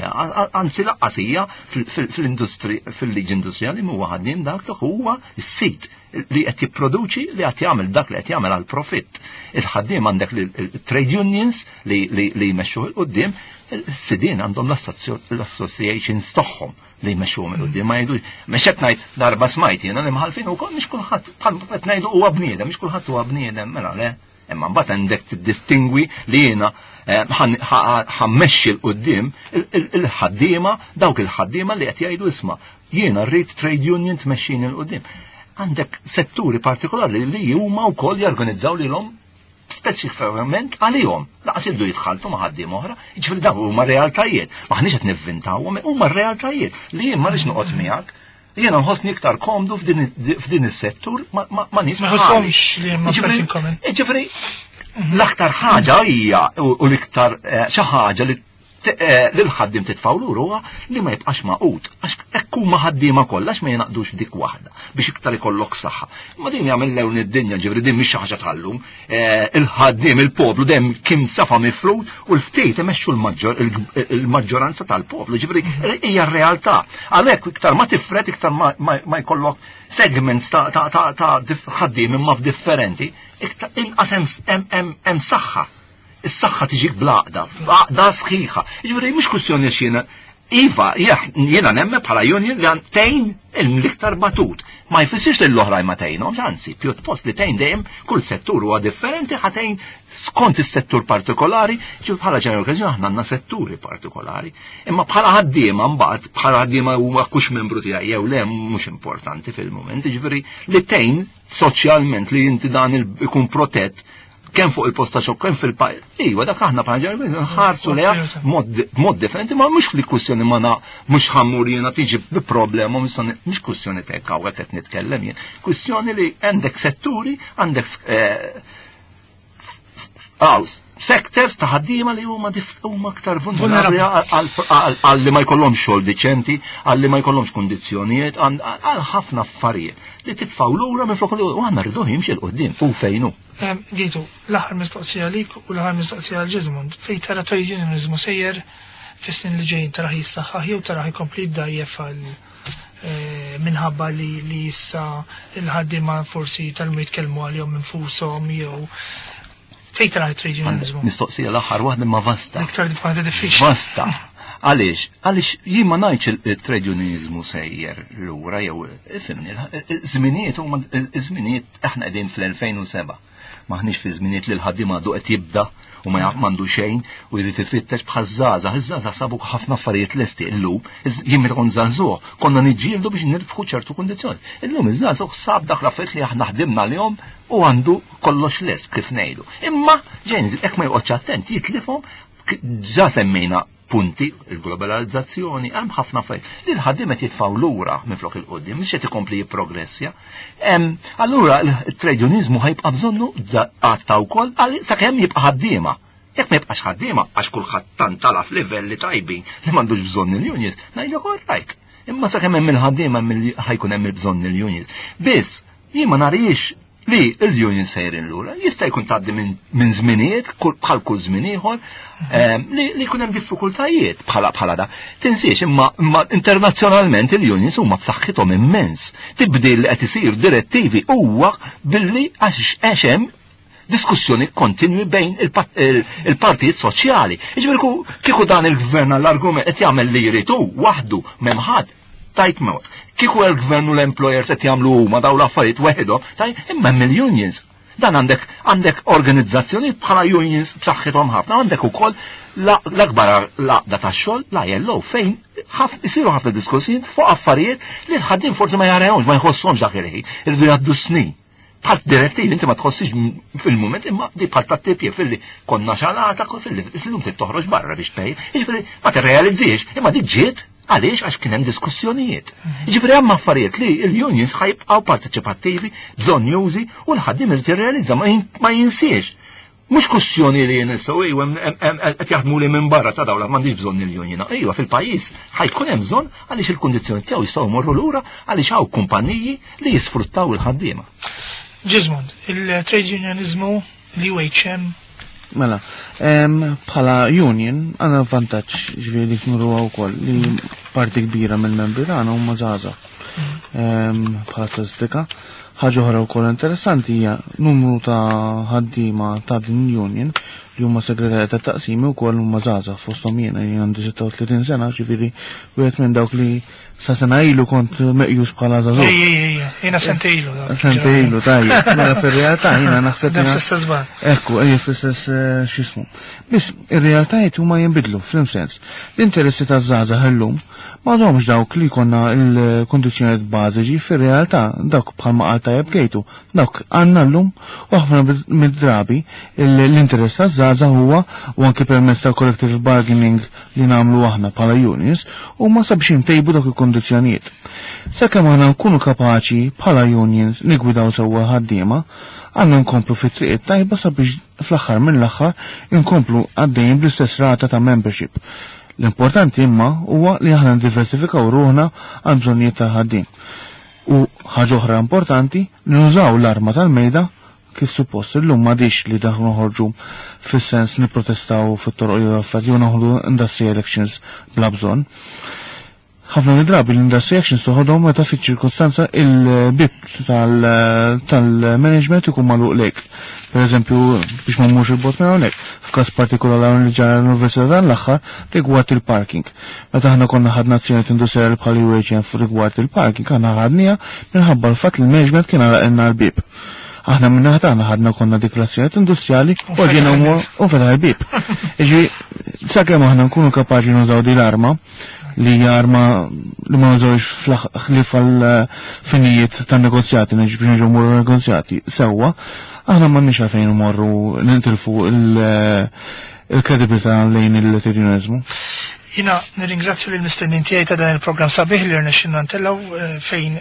anzi lanqas hija fil-industri fil-liġi industrijali huwa ħaddiem dak li huwa s-sit li qed jipproduċi li qed jagħmel dak li qed jagħmel għal profitt. Il-ħaddiem għandek trade unions li jmexxu 'l quddiem, il-sidien għandhom l-associations tagħhom li jmexxuhom 'il quddiem ma jgħidux. Mhux qed ngħid darba smajt jiena li mħalfin ukoll mhux kulħadd bħal qed ngħidu huwa bniedem, mhux kulħadd huwa bniedem, mela le. Imma mbagħad għandek tiddistingwi li jiena ħammexxi 'l quddiem il-ħaddiema, dawk il-ħaddiema li qed jgħidu isma' jiena rrid trade union tmexxini 'l quddiem. Għandek setturi partikolari li huma wkoll jorganizzaw lilhom speċifikament għalihom. Laqas iddu jitħaltu ma' ħaddiem oħra, jiġifieri dawn huma realtajiet. Maħniex qed nivvintawhom, huma realtajiet li jien ma rridx noqgħod miegħek. Jiena nħossni iktar komdu f'din is-settur ma' nies
Ma ħosshomx li hemm affarijiet in common.
Jiġifieri l-aktar ħaġa hija u l-iktar xi ħaġa li Lil ħaddiem titfgħu lura huwa li ma jibqax magħqud, għax hekk huma ħaddiema kollha, għax ma jingħaqdux dik waħda biex iktar ikollok saħħa. Ma din jagħmel lewn id-dinja, ġifieri din mhix xi ħaġa tal-lum. Il-ħaddiem, il-poplu dejjem kien safa mifrud u l-ftit imexxu il-maġġoranza tal-poplu, ġifieri hija r-realtà. Għalhekk iktar ma tifred, iktar ma jkollok segments ta' ħaddiem imma f'differenti, iktar inqas hemm saħħa. Is-saħħa tiġik bl-għaqda, għaqda sħiħa. Ġifieri mhux kwistjoni x'jiena. Iva, jiena nemmen bħala union li tgħin l-iktar batut. Ma jfissirx li l-oħrajn ma tgħinhomx, anzi, pjuttost li tgħin dejjem, kull settur huwa differenti, ħa tgħin skont is-settur partikolari, ġifieri bħala General Workers aħna għandna setturi partikolari. Imma bħala ħaddiema mbagħad, bħala ħaddiema huwa kux membru tiegħi jew le mhux importanti fil-mument, ġifieri li tgħin soċjalment li inti dan ikun protett kemm fuq il-posta xogħol kemm fil-pajjiż. Iva, dak aħna bħala nħarsu leha mod differenti, ma mhux li kwistjoni ma na mhux ħa mmur jiena tiġi bi problema, mhux kwistjoni tek hawnhekk qed nitkellem jien. Kwistjoni li għandek setturi, għandek sectors ta' ħaddiema li huma aktar vulnerabbli għal li ma jkollhomx xogħol diċenti, għal li ma jkollhomx kundizzjonijiet, għal ħafna affarijiet li titfgħu lura minn flok u aħna rridu jimxi 'l quddiem u fejnu.
Gitu, l-aħħar mistoqsija lik u l-aħħar mistoqsija għal Ġizmund, fej tara trade unionizmu sejjer fis-snin li ġejjin? Taraħ jissaħħaħ jew taraħ ikompli jdajjef għal minħabba li issa il-ħaddiema forsi tgħallmu jitkellmu għalihom infushom, jew fejn taraħ trade unionizmu?
Mistoqsija l-aħħar waħda ma vasta.
Iktar waħda diffiċli.
Vasta. Għaliex? Għaliex jien ma ngħidx il-trade unionizmu sejjer lura jew, ifhimni, żminijiet huma żminijiet, aħna qegħdin fl-2007. Maħniex fi żminijiet li l-ħaddiem għadu qed jibda u ma m'għandu xejn u jrid ifittex bħal żgħażagħ. Iż-żgħażagħ sabu ħafna affarijiet lesti illum. Jien meta kont żagħżugħ konna niġġieldu biex nirbħu ċertu kundizzjoni. Illum iż-żgħażagħ sab dak l-affarijiet li aħna ħdimna lihom u għandu kollox lest, kif ngħidu. Imma ġenzi hekk ma joqgħodx attent jitlifhom. Ġa semmejna punti, il-globalizzazzjoni, hemm ħafna affarijiet li l-ħaddiem qed jitfgħu lura minflok 'il quddiem, mhux qed ikompli jipprogressja. Allura il-trade unionizmu ħa jibqa' bżonnu għatta wkoll sakemm jibqa' ħaddiema. Jekk ma jibqax ħaddiema, għax kulħadd tant tala f'livelli tajbin li m'għandux bżonn il-unions, ngħidlek all right. Imma sakemm hemm il-ħaddiema ħa jkun hemm il-bżonn il-unions. Biss, jien ma narix li l-union sejrin lura. Jista' jkun tgħaddi minn żminijiet bħal kull żmien ieħor li jkun hemm diffikultajiet bħala da. Tinsiex imma internazzjonalment il-unions huma b'saħħithom immens. Tibdil li qed isir direttivi huwa billi għax hemm diskussjoni kontinwi bejn il-partijiet soċjali. Jiġifieri kieku dan il-gvern għall-argument qed jagħmel li jrid hu waħdu, m'hemm ħadd, tajt mod. Kieku il-gvern u l-employers qed jagħmlu huma dawn l-affarijiet weħidhom, taj imma hemm il-unions. Dan għandek organizzazzjoni bħala unions b'saħħithom ħafna, għandek ukoll l-akbar l-għaqda tax-xogħol, l-ILO, fejn isiru ħafna diskussjonijiet fuq affarijiet li l-ħaddiem forsi ma jarahomx, ma jħosshomx dak il-ħin, irridu jgħaddu snin. Bħal direttivi, inti ma tħossix fil-moment, imma di bħal ta' tipje fil-li konna xalata, fil-li fil-lum trid toħroġ barra biex tpej, jiġifieri ma tirrealizziex, imma di ġiet għaliex għax kien hemm diskussjonijiet. Jiġifieri hemm affarijiet li l-unions ħa jibqgħu parteċipattivi, bżonjużi, u l-ħaddiem irid jirrealizza, ma jinsiex. Mhux kwestjoni li jien issa ejwa qed jaħdmu li minn barra ta' dawla m'għandix bżonn il-union. Ejwa, fil-pajjiż ħa jkun hemm bżonn għaliex il-kundizzjoni tiegħu jistgħu jmorru lura għaliex hawn kumpaniji li jisfruttaw il-ħaddiema.
Ġizmond, il-trade unionizmu, l-UHM?
Mela, bħala union għandna vantaġġ, ġifieri dik nuru wkoll li parti kbira mill-membri tagħna huma żgħażagħ. Bħala statistika. Ħaġa oħra wkoll interessanti hija numru ta' ħaddiema ta' din union li huma segretarji ta' taqsimi wkoll huma żgħażagħ, fosthom jiena, jien għandi 36 sena, ġifieri wieħed minn dawk li sa sena ilu kont meqjus bħala żagħżugħ.
Ej, ej, ej, jiena sentejn ilu.
Sentejn ilu, tajjeb. Mela fir-realtà jiena naħseb.
Fl-istess ban.
Ekku, ej, fl-istess x'ismu. Biss ir-realtajiet huma jinbidlu fl-sens. L-interessi taż-żgħażagħ illum m'għadhomx dawk li konna l-kondizzjonijiet bażiċi, fir-realtà dawk bħalma qal tajjeb Kejtu, dawk għandna llum u ħafna mid-drabi l-interess taż-żgħażagħ maż-żgħażagħ huwa u anke permezz tal-collective bargaining li nagħmlu aħna bħala unions huma sabiex intejbu dawk il-kondizzjonijiet. Sakemm aħna nkunu kapaċi bħala unions nigwidaw sewwa ħaddiema, għandna nkomplu fit-triq it-tajba sabiex fl-aħħar mill-aħħar inkomplu għaddejjin bl-istess rata ta' membership. L-importanti imma huwa li aħna ndiversifikaw ruħna għal bżonnijiet tal-ħaddiem. U ħaġa oħra importanti li nużaw l-arma tal-mejda kif suppost. Illum m'għadix li daħlu noħorġu fis-sens nipprotestaw fit-toroq jew affarijiet jew noħdu industrial actions bla bżonn. Ħafna drabi l-industry actions toħodhom meta fiċ-ċirkostanza il-bib tal-management ikun magħluq lejk. Per eżempju, biex ma mmurx il-bot minn hawnhekk, f'każ partikolari li ġara l-Università dan l-aħħar rigward il-parking. Meta aħna konna ħadna azzjoni industrijali bħal UHM rigward il-parking, aħna ħadniha minħabba l-fatt li l-management kien għalaqilna l-bib. Aħna minna ħatana ħadna konna dikrazzjoniet industrijali u ġiena u fetaħ il-bib. Iġi, sakemm aħna nkunu kapaċi nużaw di l-arma, li hija arma li ma nużawx ħlief għal finijiet tan negozjati, biex nġu morru negozjati sewwa, aħna m'għandniex għalfejn morru nintilfu il-kredibilità lejn il-trade
Jina nirringrazzju lill mistennin tiegħi ta' dan il-programm sabiħ li rnexxinna ntellgħu fejn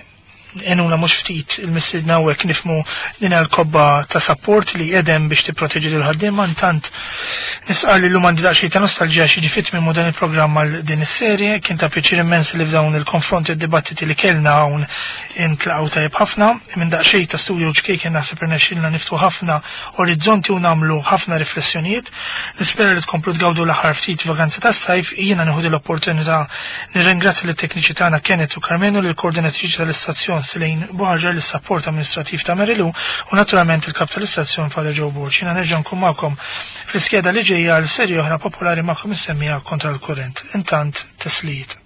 enuna mhux ftit il-mistiedna hawnhekk nifmu din l-kobba ta' support li edem biex tipproteġi lil ħaddiema intant nisqal li llum għandi daqsxejn ta' nostalġija xi ġifiet minn dan il-programm għal din is-serje. Kien ta' pjaċir immens li f'dawn il-konfronti u dibattiti li kellna hawn intlaqgħu tajjeb ħafna. Minn daqsxejn ta' studio ċkejken naħseb irnexxielna niftu ħafna orizzonti u nagħmlu ħafna riflessjonijiet. Nispera li tkomplu tgawdu l-aħħar ftit vaganza tas-sajf. Jiena nieħu l-opportunità nirringrazzja lit-tekniċi tagħna Kenneth u Carmenu, lill-koordinatriċi tal-istazzjon Selene Buħaġar, lis-sapport amministrativ ta' Merilu u naturalment il-kap tal-istazzjon Father Joe Borg. Jiena nerġa' nkun magħkom fl-iskeda li ġejja għal serje oħra popolari magħkom insemmija Kontra l-Kurrent. Intant, teslijiet.